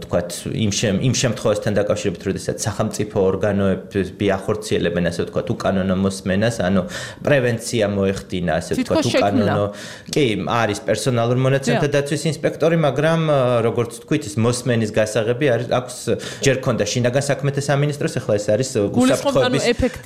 ვთქვათ, იმ იმ შემთხვევასთან დაკავშირებით, როდესაც სახელმწიფო ორგანოები ახორციელებენ, ასე ვთქვათ, უკანონო მოსმენას, ანუ პრევენცია მოეხდინა, ასე ვთქვათ, უკანონო. კი, არის პერსონალურ მონაცემთა დაცვის ინსპექტორი, მაგრამ როგორც ვთქვით, ის მოსმენის გასაღები არის აქვს ჯერ ქონდა შინაგან საქმეთა სამინისტროს, ახლა ეს არის უსაფრთხოების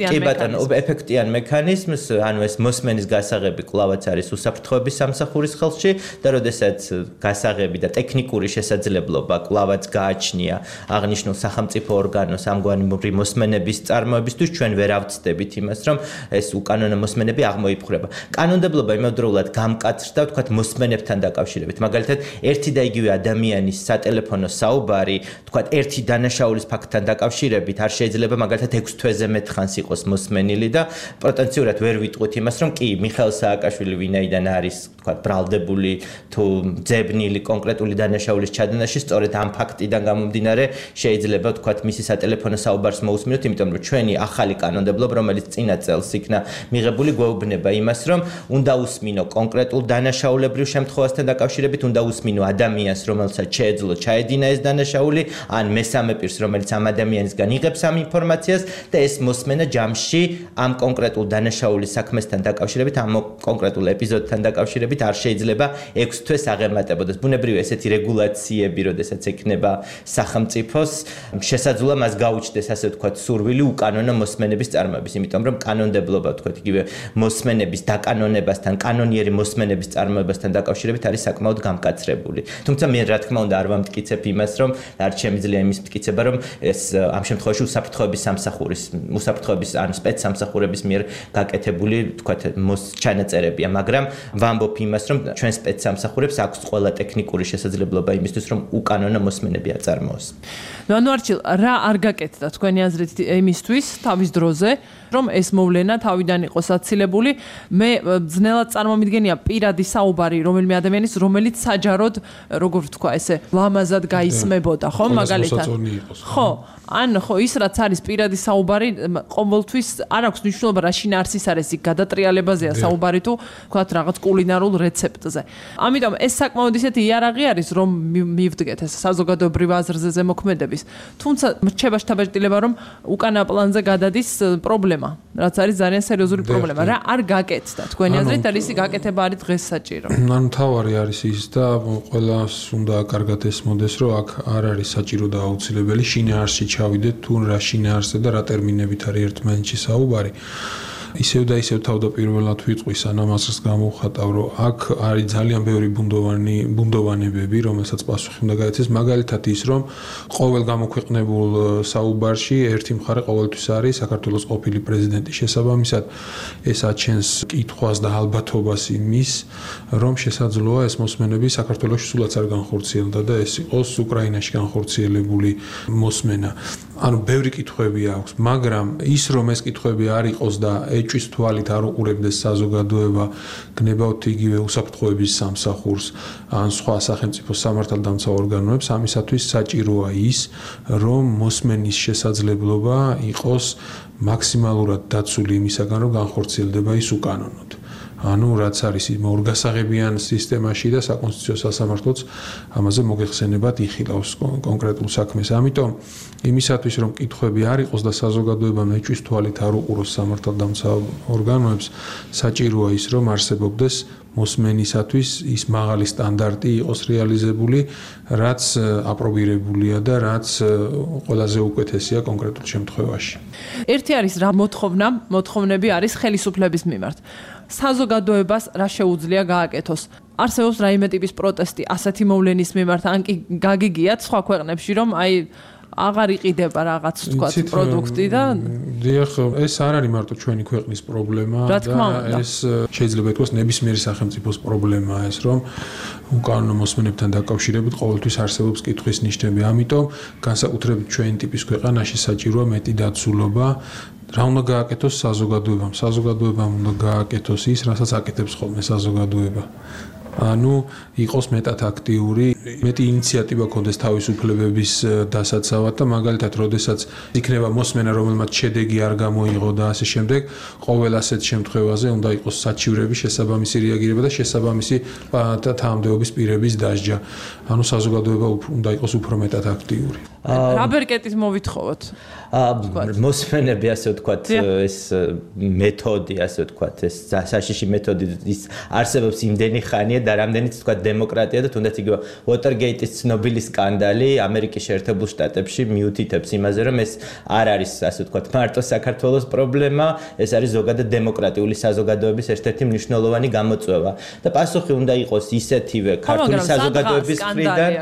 კი ბატონო, ეფექტიან მექანიზმს, ანუ ეს მოსმენის გასაღები კვლავაც არის უსაფრთხოების სამსახურის ხელში და როდესაც გასაღები და ტექნიკური შესაძლებლობა კვლავაც გააჩნია აღნიშნულ სახელმწიფო ორგანოს ამგვარი მოსმენების წარმოებისთვის, ჩვენ ვერ ავწდებით იმას, რომ ეს უკანონო მოსმენები აღმოიფხვრება. კანონმდებლობა იმავდროულად გამკაცრდა, ვთქვათ, მოსმენებთან დაკავშირებით. მაგალითად, ერთი და იგივე ადამიანის სატელეფონო საუბარი, ვთქვათ, ერთი დანაშაულის ფაქტთან დაკავშირებით არ შეიძლება მაგალითად ექვს თვეზე მეტ ხანს იყოს მოსმენილი და პოტენციურად ვერ ვიტყვით იმას, რომ კი, მიხეილ სააკაშვილი ვინაიდან არის, ვთქვათ, ბრალდებული თუ ძებნილი კონკრეტული დანაშაულის ჩადენაში, სწორედ ამ ფაქტიდან გამომდინარე შეიძლება, ვთქვათ, მისი სატელეფონო საუბარს მოусმინოთ, იმიტომ რომ ჩვენი ახალი კანონმდებლობა, რომელიც წინა წელს იქნა მიღებული, გვეუბნება იმას, რომ უნდა უსმინო კონკრეტულ დანაშაულებრივ შემთხვევასთან დაკავშირებით, უნდა უსმინო ადამიანს, რომელსაც შეეძლო ჩაედინა ეს დანაშაული, ან მესამე პირს, რომელიც ამ ადამიანისგან იღებს ამ ინფორმაციას და ეს მოსმენა ჯამში ამ კონკრეტულ დანაშაულის საქმესთან დაკავშირებით, ამ კონკრეტულ ეპიზოდთან დაკავშირებით არ შეიძლება ექვს თვეს აღემატებოდეს. ბუნებრივია ესეთი რეგულაციები, როდესაც ექნება სახელმწიფოს, შესაძლოა მას გაუჩნდეს, ასე ვთქვათ, სურვილი უკანონო მოსმენების წარმოების, იმიტომ რომ კანონმდებლობა, ვთქვათ, იგივე მოსმენების დაკანონებასთან, კანონიერი მოსმენების წარმოებასთან დაკავშირებით არის საკმაოდ გამკაცრებული. თუმცა მე რა თქმა უნდა არ ვამტკიცებ იმას, რომ არ შემიძლია იმის მტკიცება, რომ ეს ამ შემთხვევაში უსაფრთხოების სამსახურის, უსაფრთხოების ან სპეცსამსახურების მიერ გაკეთებული, ვთქვათ, ჩანაწერებია, მაგრამ ვამბობ იმას, რომ ჩვენ სპეცსამსახურებს აქვს ყველა ტექნიკური შესაძლებლობა იმისთვის, რომ უკანონო მოსმენები აწარმოოს. ანუ არჩილ, რა არ გაკეთდა თქვენი აზრით იმისთვის თავის დროზე, რომ ეს მოვლენა თავიდან იყოს აცილებული? მე ძნელად წარმომიდგენია პირადი საუბარი რომელიმე ადამიანის, რომელიც საჯაროდ, როგორ ვთქვა, ესე ლამაზად გაისმებოდა, ხო, მაგალითად. ხო, ან ხო, ის რაც არის პირადი საუბარი, ყოველთვის არ აქვს მნიშვნელობა რა შინაარსის არის, იქ გადატრიალებაზეა საუბარი თუ ვთქვათ რაღაც კულინარულ რეცეპტზე. ამიტომ ეს საკმაოდ ისეთი იარაღი არის, რომ მივდგეთ ეს საზოგადოებრივ აზრზე ზემოქმედების. თუმცა რჩება შთაბეჭდილება, რომ უკანა პლანზე გადადის პრობლემა, რაც არის ძალიან სერიოზული პრობლემა. რა არ გაკეთდა თქვენი აზრით, და ისი გაკეთება არის დღეს საჭირო? ანუ თავარი არის ის და ყველას უნდა კარგად ესმოდეს, რომ აქ არ არის საჭირო და აუცილებელი შინაარსში ჩავიდეთ, თუ რა შინაარსზე და რა ტერმინებით არის ერთმანეთში საუბარი. ისევ და ისევ თავდაპირველად ვიტყვი, სანამ ასრს გამოვხატავ, რომ აქ არის ძალიან ბევრი ბუნდოვანი ბუნდოვანებები, რომელსაც პასუხი უნდა გაეცეს, მაგალითად ის, რომ ყოველ გამოქვეყნებულ საუბარში ერთი მხარე ყოველთვის არის საქართველოს ყოფილი პრეზიდენტის შესაბამისად, ეს აჩენს კითხვას და ალბათობას იმის, რომ შესაძლოა ეს მოსმენები საქართველოში სულაც არ განხორციელდა და ეს იყოს უკრაინაში განხორციელებული მოსმენა. ანუ ბევრი კითხვები აქვს, მაგრამ ის რომ ეს კითხვები არ იყოს და ეჭვის თვალით არ უყურებდეს საზოგადოება, გნებავთ იგივე უსაფრთხოების სამსახურს ან სხვა სახელმწიფო სამართალდამცავ ორგანოებს, ამისათვის საჭიროა ის, რომ მოსმენის შესაძლებლობა იყოს მაქსიმალურად დაცული იმისაგან, რომ განხორციელდება ის უკანონოდ. ანუ რაც არის იმ ორგასაღებიან სისტემაში და საკონსტიტუციო სასამართლოც ამაზე მოგეხსენებათ იხილავს კონკრეტულ საქმეს. ამიტომ იმისათვის რომ კითხვები არ იყოს და საზოგადოებამ ეჭვის თვალით არ უყუროს სამართალდამცავ ორგანოებს, საჭიროა ის რომ არსებობდეს მოსმენისათვის ის მაღალი სტანდარტი იყოს რეალიზებული, რაც აპრობირებულია და რაც ყველაზე უკეთესია კონკრეტულ შემთხვევაში. ერთი არის რა მოთხოვნა, მოთხოვნები არის ხელისუფლების მიმართ. საზოგადოებას რა შეუძლია გააკეთოს? არსებობს რაიმე ტიპის პროტესტი ასეთი მოვლენის მიმართ, ან კი გაგიგიათ სხვა ქვეყნებში, რომ აი აღარ იყიდება რაღაც თქვა პროდუქტი და დიახ, ეს არ არის მარტო ჩვენი ქვეყნის პრობლემა და ეს შეიძლება ითქვას ნებისმიერი სახელმწიფოს პრობლემაა ეს, რომ უკანონო მოსმენებთან დაკავშირებით ყოველთვის არსებობს კითხვის ნიშნები. ამიტომ განსაკუთრებით ჩვენი ტიპის ქვეყანაში საჭიროა მეტი დაცულობა. რა უნდა გააკეთოს საზოგადოებამ? საზოგადოებამ უნდა გააკეთოს ის, რასაც აკეთებს ხოლმე საზოგადოება. ანუ იყოს მეტად აქტიური, მეტი ინიციატივა ქონდეს თავისუფლებების დასაცავად და მაგალითად, როდესაც იქნება მოსმენა, რომელმაც შედეგი არ გამოიღო და ასე შემდეგ, ყოველ ასეთ შემთხვევაზე უნდა იყოს საჩივრების შესაბამისი რეაგირება და შესაბამისი თანამდებობის პირების დასჯა. ანუ საზოგადოება უნდა იყოს უფრო მეტად აქტიური. რა ბერკეტის მოვითხოვოთ? მოსმენები, ასე ვთქვათ, ეს მეთოდი, ასე ვთქვათ, ეს საშიში მეთოდი ის არსებობს იმდენი ხანია და რამდენიც ვთქვათ დემოკრატია და თუნდაც იგივე Watergate-ის ცნობილი სკანდალი ამერიკის შეერთებულ შტატებში მიუთითებს იმაზე, რომ ეს არ არის, ასე ვთქვათ, მარტო საქართველოს პრობლემა, ეს არის ზოგადად დემოკრატიული საზოგადოების ერთ-ერთი მნიშვნელოვანი გამოწვევა. და პასუხი უნდა იყოს ისეთივე ქართული საზოგადოების მხრიდან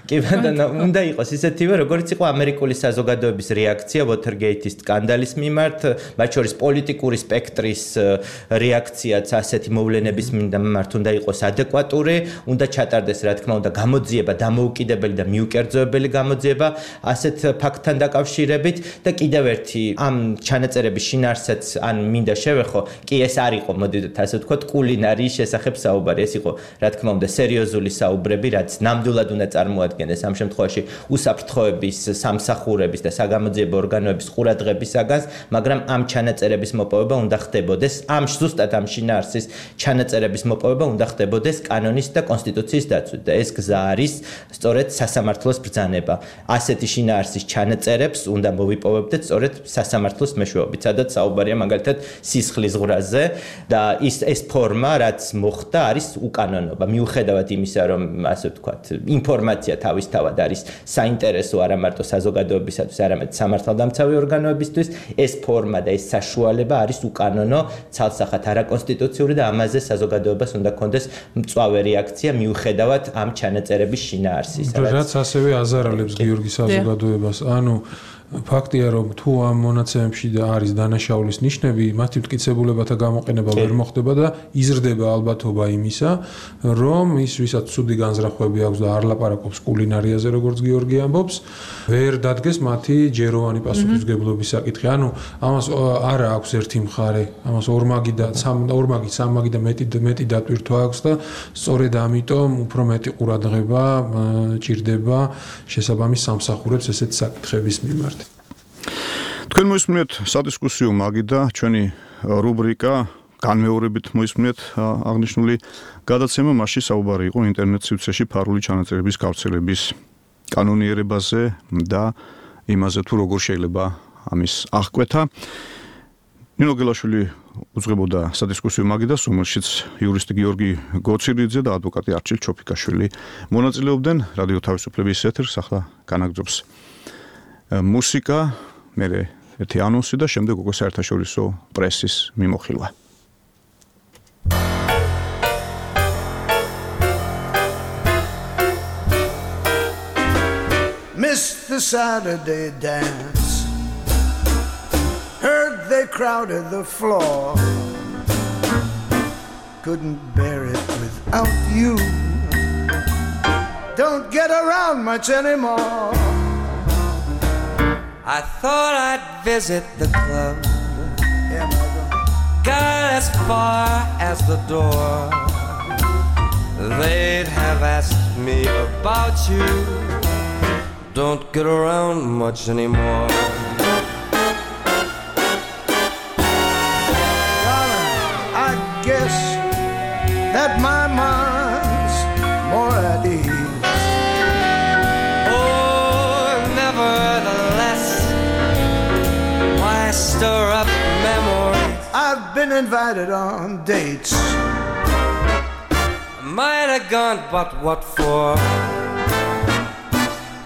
კი ბატონო, უნდა იყოს ისეთივე, როგორც იყო ამერიკული საზოგადოების რეაქცია Watergate-ის სკანდალის მიმართ, მათ შორის პოლიტიკური სპექტრის რეაქციაც ასეთი მოვლენების მიმართ უნდა იყოს ადეკვატური, უნდა ჩატარდეს, რა თქმა უნდა, გამოძიება, დამოუკიდებელი და მიუკერძოებელი გამოძიება ასეთ ფაქტთან დაკავშირებით და კიდევ ერთი ამ ჩანაწერების შინაარსიც ან მინდა შევეხო, კი ეს არ იყო, მოდით ასე ვთქვათ, კულინარიის შესახებ საუბარი, ეს იყო, რა თქმა უნდა, სერიოზული საუბრები, რაც ნამდვილად უნდა წარმოადგინოს ამ შემთხვევაში უსაფრთხოების, სამსახურების და საგამოძიებო ორგანოების ყურადღებისაგან, მაგრამ ამ ჩანაწერების მოპოვება უნდა ხდებოდეს, ამ ზუსტად ამ შინაარსის ჩანაწერების მოპოვება უნდა ხდებოდეს კანონის და კონსტიტუციის დაცვით და ეს გზა არის სწორედ სასამართლოს ბრძანება. ასეთი შინაარსის ჩანაწერებს უნდა მოვიპოვებდეთ სწორედ სასამართლოს მეშვეობით, სადაც საუბარია მაგალითად სისხლის ზღვრაზე და ის ეს ფორმა, რაც მოხდა, არის უკანონობა. მიუხედავად იმისა, რომ ასე ვთქვათ, ინფორმაცია თავისთავად არის საინტერესო არა მარტო საზოგადოებისათვის, არამედ სამართალდამცავი ორგანოებისთვის, ეს ფორმა და ეს საშუალება არის უკანონო, ცალსახად არაკონსტიტუციური და ამაზე საზოგადოებას უნდა კონდეს მწვავე რეაქცია მიუხედავად ამ ჩანაწერების შინაარსის. რაც ასევე აზარალებს გიორგი საზოგადოებას. ანუ ფაქტია, რომ თუ ამ მონაცემებში არის დანაშაულის ნიშნები, მათი მტკიცებულებათა გამოყენება ვერ მოხდება და იზრდება ალბათობა იმისა, რომ ის ვისაც ცუდი განზრახვები აქვს და არ ლაპარაკობს კულინარიაზე, როგორც გიორგი ამბობს, ვერ დადგეს მათი ჯეროვანი პასუხისმგებლობის საკითხი. ანუ ამას არა აქვს ერთი მხარე, ამას ორმაგი და ორმაგი, სამმაგი და მეტი მეტი დატვირთვა აქვს და სწორედ ამიტომ უფრო მეტი ყურადღება ჭირდება შესაბამის სამსახურებს ესეთ საკითხების მიმართ. თქვენ მოისმინეთ სადისკუსიო მაგი და ჩვენი რუბრიკა განმეორებით მოისმინეთ აღნიშნული გადაცემა, მასში საუბარი იყო ინტერნეტ სივრცეში ფარული ჩანაწერების გავრცელების კანონიერებაზე და იმაზე თუ როგორ შეიძლება ამის აღკვეთა. ნინო გელაშვილი უძღვებოდა სადისკუსიო მაგიდას, რომელშიც იურისტი გიორგი გოცირიძე და ადვოკატი არჩილ ჩოფიკაშვილი მონაწილეობდნენ. რადიო თავისუფლების ეთერს ახლა განაგრძობს მუსიკა, მერე ერთი ანონსი და შემდეგ უკვე საერთაშორისო პრესის მიმოხილვა. Missed the Saturday dance, heard they crowded the floor, couldn't bear it without you, don't get around much anymore. I thought I'd visit the club, got as far as the door, they'd have asked me about you, don't get around much anymore. Darling, I guess that my mind's more at ease. Oh, nevertheless, why stir up memories? I've been invited on dates, might have gone, but what for?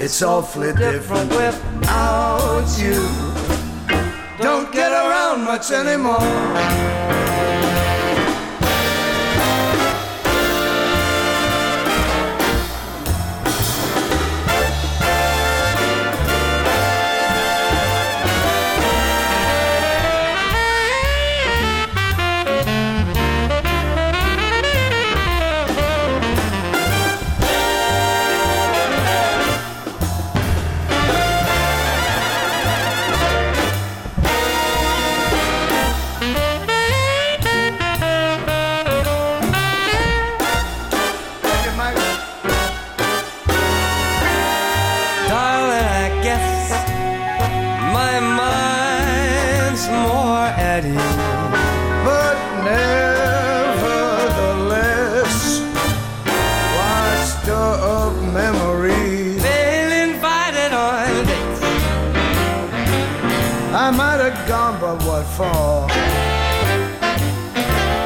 It's awfully different without you, don't get around much anymore. you're gone, but what for?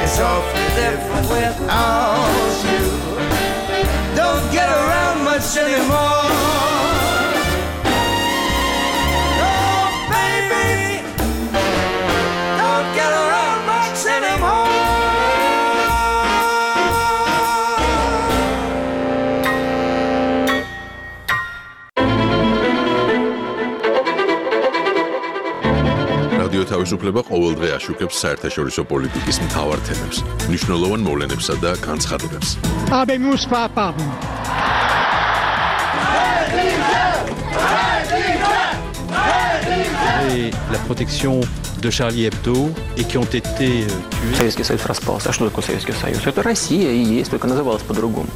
It's awfully different without you. Don't get around much anymore. Oh, baby, don't get around much anymore. რადიო თავისუფლება ყოველდღე აშუქებს საერთაშორისო პოლიტიკის მთავარ თემებს, მნიშვნელოვან მოვლენებსა და განცხადებებს. Habemus papam. Et la protection de Charlie Hebdo et qui ont été tués. Советский Союз распался. А что такое Советский Союз? Это Россия и есть, только называлась по-другому.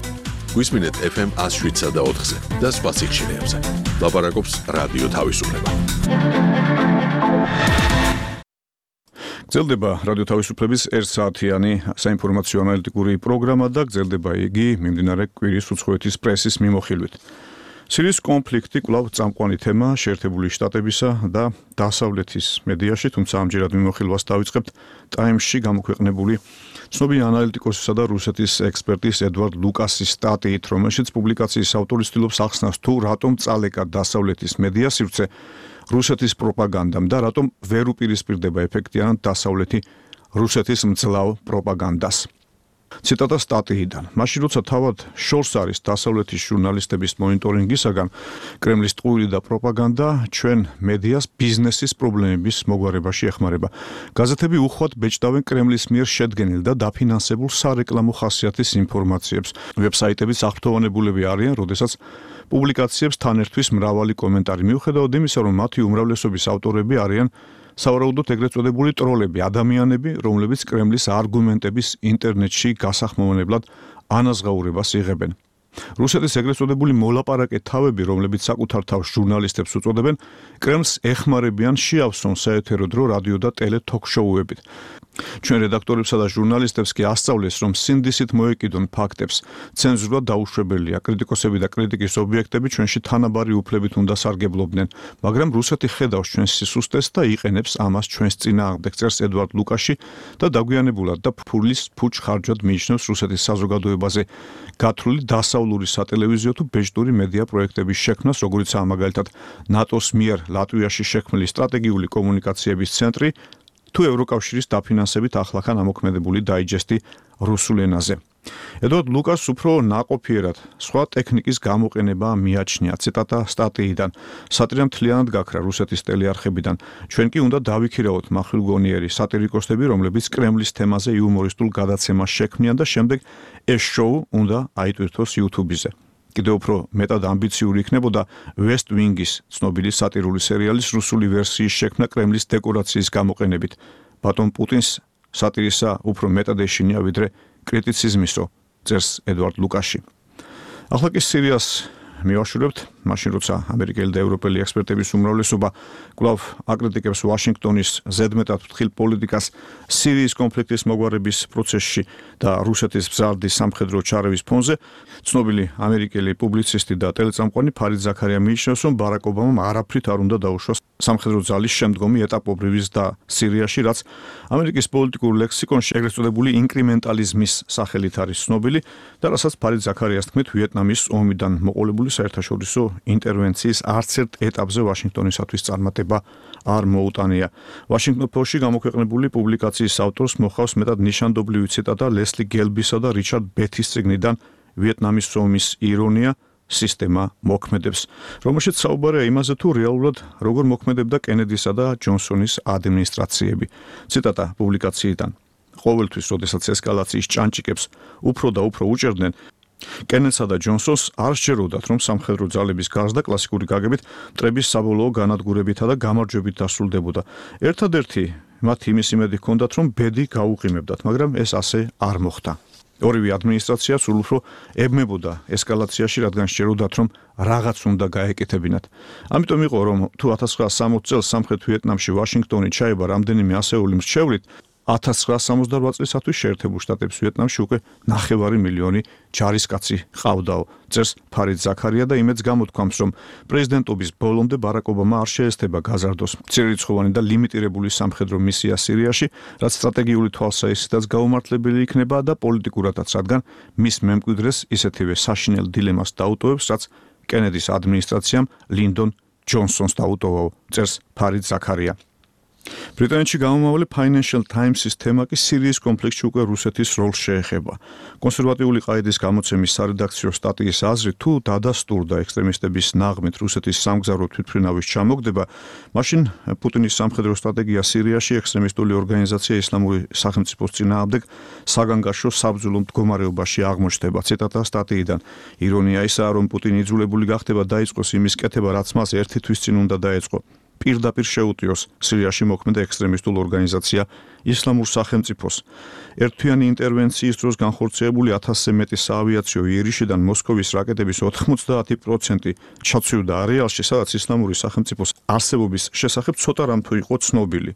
გვისმინეთ эф эм one oh seven და four-ზე და სხვა სიხშირეებზე. ლაპარაკობს რადიო თავისუფლება. გრძელდება რადიო თავისუფლების ერთ საათიანი საინფორმაციო ანალიტიკური პროგრამა და გრძელდება იგი მიმდინარე კვირის უცხოეთის პრესის მიმოხილვით. სირიის კონფლიქტი კვლავ წამყვანი თემა შეერთებული შტატებისა და დასავლეთის მედიაში, თუმცა ამჯერად მიმოხილვას დავიწყებთ ტაიმსში გამოქვეყნებული ცნობილი ანალიტიკოსისა და რუსეთის ექსპერტის ედვარდ ლუკასის სტატიით, რომელშიც პუბლიკაციის ავტორი ცდილობს ახსნას თუ რატომ წალეკა დასავლეთის მედია სივრცე რუსეთის პროპაგანდამ და რატომ ვერ უპირისპირდება ეფექტიანად დასავლეთი რუსეთის მძლავ პროპაგანდას. ციტატა სტატიიდან. მაშინ როცა თავად შორს არის დასავლეთის ჟურნალისტების მონიტორინგისაგან კრემლის ტყუილი და პროპაგანდა ჩვენ მედიას ბიზნესის პრობლემების მოგვარებაში ეხმარება. გაზეთები უხვად ბეჭდავენ კრემლის მიერ შედგენილ და დაფინანსებულ სარეკლამო ხასიათის ინფორმაციებს. ვებსაიტებიც აღფრთოვანებულები არიან, როდესაც პუბლიკაციებს თან ერთვის მრავალი კომენტარი. მიუხედავად იმისა, რომ მათი უმრავლესობის ავტორები არიან სავარაუდოდ ეგრეთ წოდებული ტროლები, ადამიანები, რომლებიც კრემლის არგუმენტების ინტერნეტში გასახმოვანებლად ანაზღაურებას იღებენ. რუსეთის ეგრეთ წოდებული მოლაპარაკე თავები, რომლებიც საკუთარ თავს ჟურნალისტებს უწოდებენ, კრემლს ეხმარებიან შეავსონ საეთერო დრო რადიო და ტელე თოქ-შოუებით. ჩვენ რედაქტორებსა და ჟურნალისტებს კი ასწავლეს, რომ სინდისით მოეკიდონ ფაქტებს. ცენზურა დაუშვებელია, კრიტიკოსები და კრიტიკის ობიექტები ჩვენში თანაბარი უფლებით უნდა სარგებლობდნენ, მაგრამ რუსეთი ხედავს ჩვენს სისუსტეს და იყენებს ამას ჩვენს წინააღმდეგ, წერს ედვარდ ლუკაში და დაგვიანებულად და ფულის ფუჩ ხარჯად მიიჩნევს რუსეთის საზოგადოებაზე გათვლილი დასავლური სატელევიზიო თუ ბეჭდური მედია პროექტების შექმნას, როგორიცაა მაგალითად ნატოს მიერ ლატვიაში შექმნილი სტრატეგიული კომუნიკაციების ცენტრი თუ ევროკავშირის დაფინანსებით ახლახან ამოქმედებული დაიჯესტი რუსულ ენაზე. ედვარდ ლუკას უფრო ნაყოფიერად სხვა ტექნიკის გამოყენება მიაჩნია. ციტატა სტატიიდან. სატირა მთლიანად გაქრა რუსეთის ტელეარხებიდან. ჩვენ კი უნდა დავიქირავოთ მახვილგონიერი სატირიკოსები, რომლებიც კრემლის თემაზე იუმორისტულ გადაცემას შექმნიან და შემდეგ ეს შოუ უნდა აიტვირთოს YouTube-ზე. კიდევ უფრო მეტად ამბიციური იქნებოდა West Wing-ის ცნობილი სატირული სერიალის რუსული ვერსიის შექმნა კრემლის დეკორაციის გამოყენებით. ბატონ პუტინს სატირისა უფრო მეტად ეშინია ვიდრე კრიტიციზმისო, წერს ედვარდ ლუკაში. ახლა კი სირიას მივაშურებთ, მაშინ როცა ამერიკელი და ევროპელი ექსპერტების უმრავლესობა კვლავ აკრიტიკებს ვაშინგტონის ზედმეტად ფრთხილ პოლიტიკას სირიის კონფლიქტის მოგვარების პროცესში და რუსეთის მზარდი სამხედრო ჩარევის ფონზე, ცნობილი ამერიკელი პუბლიცისტი და ტელეწამყვანი ფარიდ ზაქარია მიიჩნევს, რომ ბარაკ ობამამ არაფრით არ უნდა დაუშვას სამხედრო ძალის შემდგომი ეტაპობრივი ზრდა სირიაში, რაც ამერიკის პოლიტიკურ ლექსიკონში ეგრეთ წოდებული ინკრემენტალიზმის სახელით არის ცნობილი და რასაც ფარიდ ზაქარიას თქმით ვიეტნამის ომიდან მოყოლებული საერთაშორისო ინტერვენციის არც ერთ ეტაპზე ვაშინგტონისათვის წარმატება არ მოუტანია. Washington Post-ში გამოქვეყნებული პუბლიკაციის ავტორს მოხავს მეტად ნიშანდობლივი ციტატა ლესლი გელბისა და რიჩარდ ბეთის წიგნიდან ვიეტნამის ომის ირონია სისტემა მოქმედებს, რომელშიც საუბარია იმაზე, თუ რეალურად როგორ მოქმედებდა კენედისა და ჯონსონის ადმინისტრაციები. ციტატა პუბლიკაციიდან. ყოველთვის, როდესაც ესკალაციის ჭანჭიკებს უფრო და უფრო უჭერდნენ, კენედსა და ჯონსონს არ სჯეროდათ, რომ სამხედრო ძალების გარსდა კლასიკური გაგებით მტრების საბოლოო განადგურებითა და გამარჯვებით დასრულდებოდა. ერთადერთი მათ იმის იმედი ჰქონდათ, რომ ბედი გაუყიმებდათ, მაგრამ ეს ასე არ მოხდა. ორივე ადმინისტრაცია სულ უფრო ებმებოდა ესკალაციაში, რადგან სჯეროდათ, რომ რაღაც უნდა გაეკეთებინათ. ამიტომ იყო, რომ თუ ათას ცხრაასი სამოცი წელს სამხრეთ ვიეტნამში ვაშინგტონი ჩაება რამდენიმე ასეული მრჩევლით, ათას ცხრაასი სამოცდარბዓ წლისათვის შეერთებულ შტატებს ვიეტნამში უკვე ნახევარი მილიონი ჯარისკაცი ყავდაო. წერს ფარიდ ზაქარია და იმედს გამოთქვამს, რომ პრეზიდენტობის ბოლომდე ბარაკ ობამა არ შეესწება გაზარდოს მცირერიცხოვანი და ლიმიტირებული სამხედრო მისია სირიაში, რაც სტრატეგიული თვალსაზრისითაც გაუმართლებელი იქნება და პოლიტიკურადაც, რადგან მის მემკვიდრეს ისეთივე საშინელ დილემას დაუტოვებს, რაც კენედის ადმინისტრაციამ ლინდონ ჯონსონს დაუტოვაო, წერს ფარიდ ზაქარია. ბრიტანეთში გამომავალი Financial Times-ის თემა კი სირიის კონფლიქტში უკვე რუსეთის როლს შეეხება. კონსერვატიული ყაიდის გამოცემის სარედაქციო სტატიის აზრით, თუ დადასტურდა ექსტრემისტების ნაღმით რუსეთის სამგზავრო თვითმფრინავის ჩამოგდება, მაშინ პუტინის სამხედრო სტრატეგია სირიაში ექსტრემისტული ორგანიზაცია ისლამური სახელმწიფოს წინააღმდეგ საგანგაშო საბრძოლო მდგომარეობაში აღმოჩნდება. ციტატა სტატიიდან. ირონია ისაა, რომ პუტინი იძულებული გახდება დაიწყოს იმის კეთება, რაც მას ერთი თვის წინ უნდა დაეწყო. პირდაპირ შეუტიოს სირიაში მოქმედ ექსტრემისტულ ორგანიზაცია ისლამურ სახელმწიფოს. ერთთვიანი ინტერვენციის დროს განხორციელებული ათასზე მეტი საავიაციო იერიშიდან მოსკოვის რაკეტების ოთხმოცდაათი პროცენტი ჩაცვივდა არეალში, სადაც ისლამური სახელმწიფოს არსებობის შესახებ ცოტა რამ თუ იყო ცნობილი.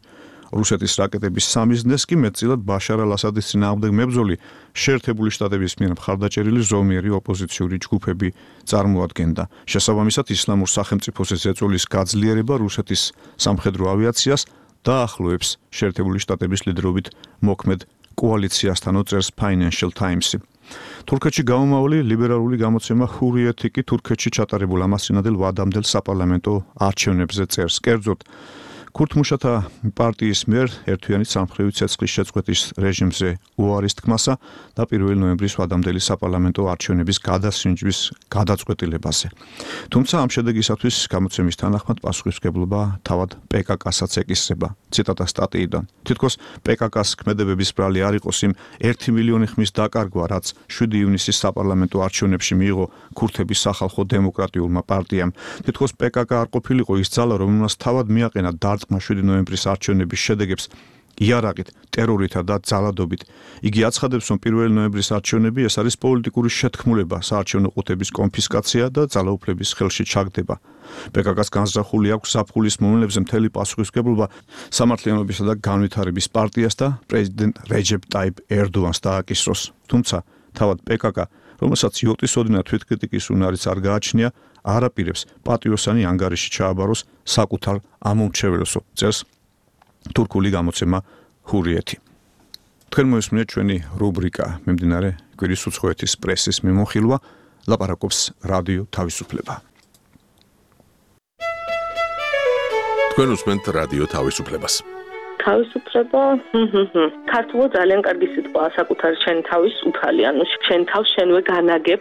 რუსეთის რაკეტების სამიზნეს კი მეტწილად ბაშარ ალ-ასადის წინააღმდეგ მებრძოლი შეერთებული შტატების მიერ მხარდაჭერილი ზომიერი ოპოზიციური ჯგუფები წარმოადგენდა. შესაბამისად, ისლამურ სახელმწიფოზე ზეწოლის გაძლიერება რუსეთის სამხედრო ავიაციას დაახლოებს შეერთებული შტატების ლიდერობით მოქმედ კოალიციასთან, წერს Financial Times-ი. თურქეთში გამომავალი ლიბერალური გამოცემა ჰურიეთი კი თურქეთში ჩატარებულ ამასწინადელ ვადამდელ საპარლამენტო არჩევნებზე წერს. კერძოდ, ქურთმუშათა პარტიის მიერ ერთთვიანი სამხრივი ცეცხლის შეწყვეტის რეჟიმზე უარის თქმასა და პირველი ნოემბრის ვადამდელი საპარლამენტო არჩევნების გადასინჯვის გადაწყვეტილებაზე. თუმცა ამ შედეგისათვის გამოცემის თანახმად პასუხისმგებლობა თავად პე-კა-კასაც ეკისრება. ციტატა სტატიიდან. თითქოს პე-კა-კას ქმედებების ბრალი არ იყოს იმ ერთი მილიონი ხმის დაკარგვა, რაც შვიდი ივნისის საპარლამენტო არჩევნებში მიიღო ქურთების სახალხო დემოკრატიულმა პარტიამ. თითქოს პე-კა-კა არ ყოფილიყო ის ძალა, რომელმაც თავად მიაყენა დარტყმა შვიდი ნოემბრის არჩევნების შედეგებს იარაღით, ტერორითა და ძალადობით. იგი აცხადებს, რომ პირველი ნოემბრის არჩევნები ეს არის პოლიტიკური შეთქმულება, საარჩევნო ყუთების კონფისკაცია და ძალაუფლების ხელში ჩაგდება. პე-კა-კას განზრახული აქვს ზაფხულის მომლებზე მთელი პასუხისმგებლობა სამართლიანობისა და განვითარების პარტიას და პრეზიდენტ რეჯეპ ტაიპ ერდოანს დააკისროს. თუმცა თავად პე-კა-კა, რომელსაც იოტის ოდნავ თვითკრიტიკის უნარიც არ გააჩნია, არ აპირებს პატიოსანი ანგარიში ჩააბაროს საკუთარ ამომრჩეველსო, წერს თურქული გამოცემა ჰურიეთი. თქვენ მოისმინეთ ჩვენი რუბრიკა მიმდინარე კვირის უცხოეთის პრესის მიმოხილვა, ლაპარაკობს რადიო თავისუფლება. თქვენ უსმენთ რადიო თავისუფლებას. თავისუფლება, ქართულად ძალიან კარგი სიტყვაა, საკუთარი შენი თავის უფალი, ანუ შენ თავს შენვე განაგებ,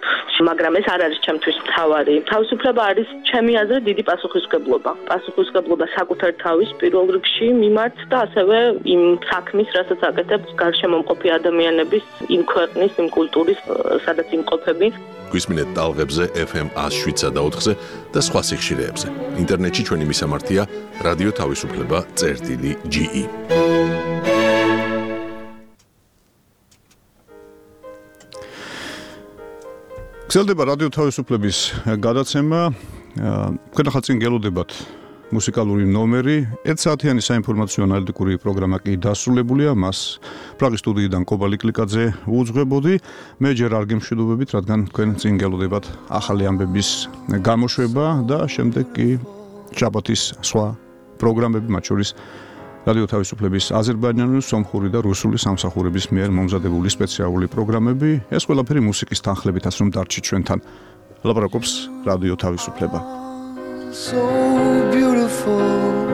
მაგრამ ეს არ არის ჩემთვის მთავარი. თავისუფლება არის ჩემი აზრით დიდი პასუხისმგებლობა. პასუხისმგებლობა საკუთარ თავის პირველ რიგში მიმართ და ასევე იმ საქმის, რასაც აკეთებს გარშემო მყოფი ადამიანების, იმ ქვეყნის, იმ კულტურის, სადაც იმყოფები. გვისმინეთ ტალღებზე ეფ ემ ათს შვიდსა და ოთხზე და სხვა სიხშირეებზე. ინტერნეტში ჩვენი მისამართია რადიო თავისუფლება წერტილი ჯი ი. გრძელდება რადიო თავისუფლების გადაცემა. თქვენ ახლა წინ გელოდებათ მუსიკალური ნომერი. ერთ საათიანი საინფორმაციო ანალიტიკური პროგრამა კი დასრულებულია. მას პრაღის სტუდიიდან კობალი კლიკაძე უძღვებოდი. მე ჯერ არ გემშვიდობებით, რადგან თქვენ წინ გელოდებათ ახალი ამბების გამოშვება და შემდეგ კი შაბათის სხვა პროგრამები, მათ შორის რადიო თავისუფლების აზერბაიჯანული, სომხური და რუსული სამსახურების მიერ მომზადებული სპეციალური პროგრამები. ეს ყველაფერი მუსიკის თანხლებითაც რომ დარჩით ჩვენთან. ლაპარაკობს რადიო თავისუფლება. So beautiful.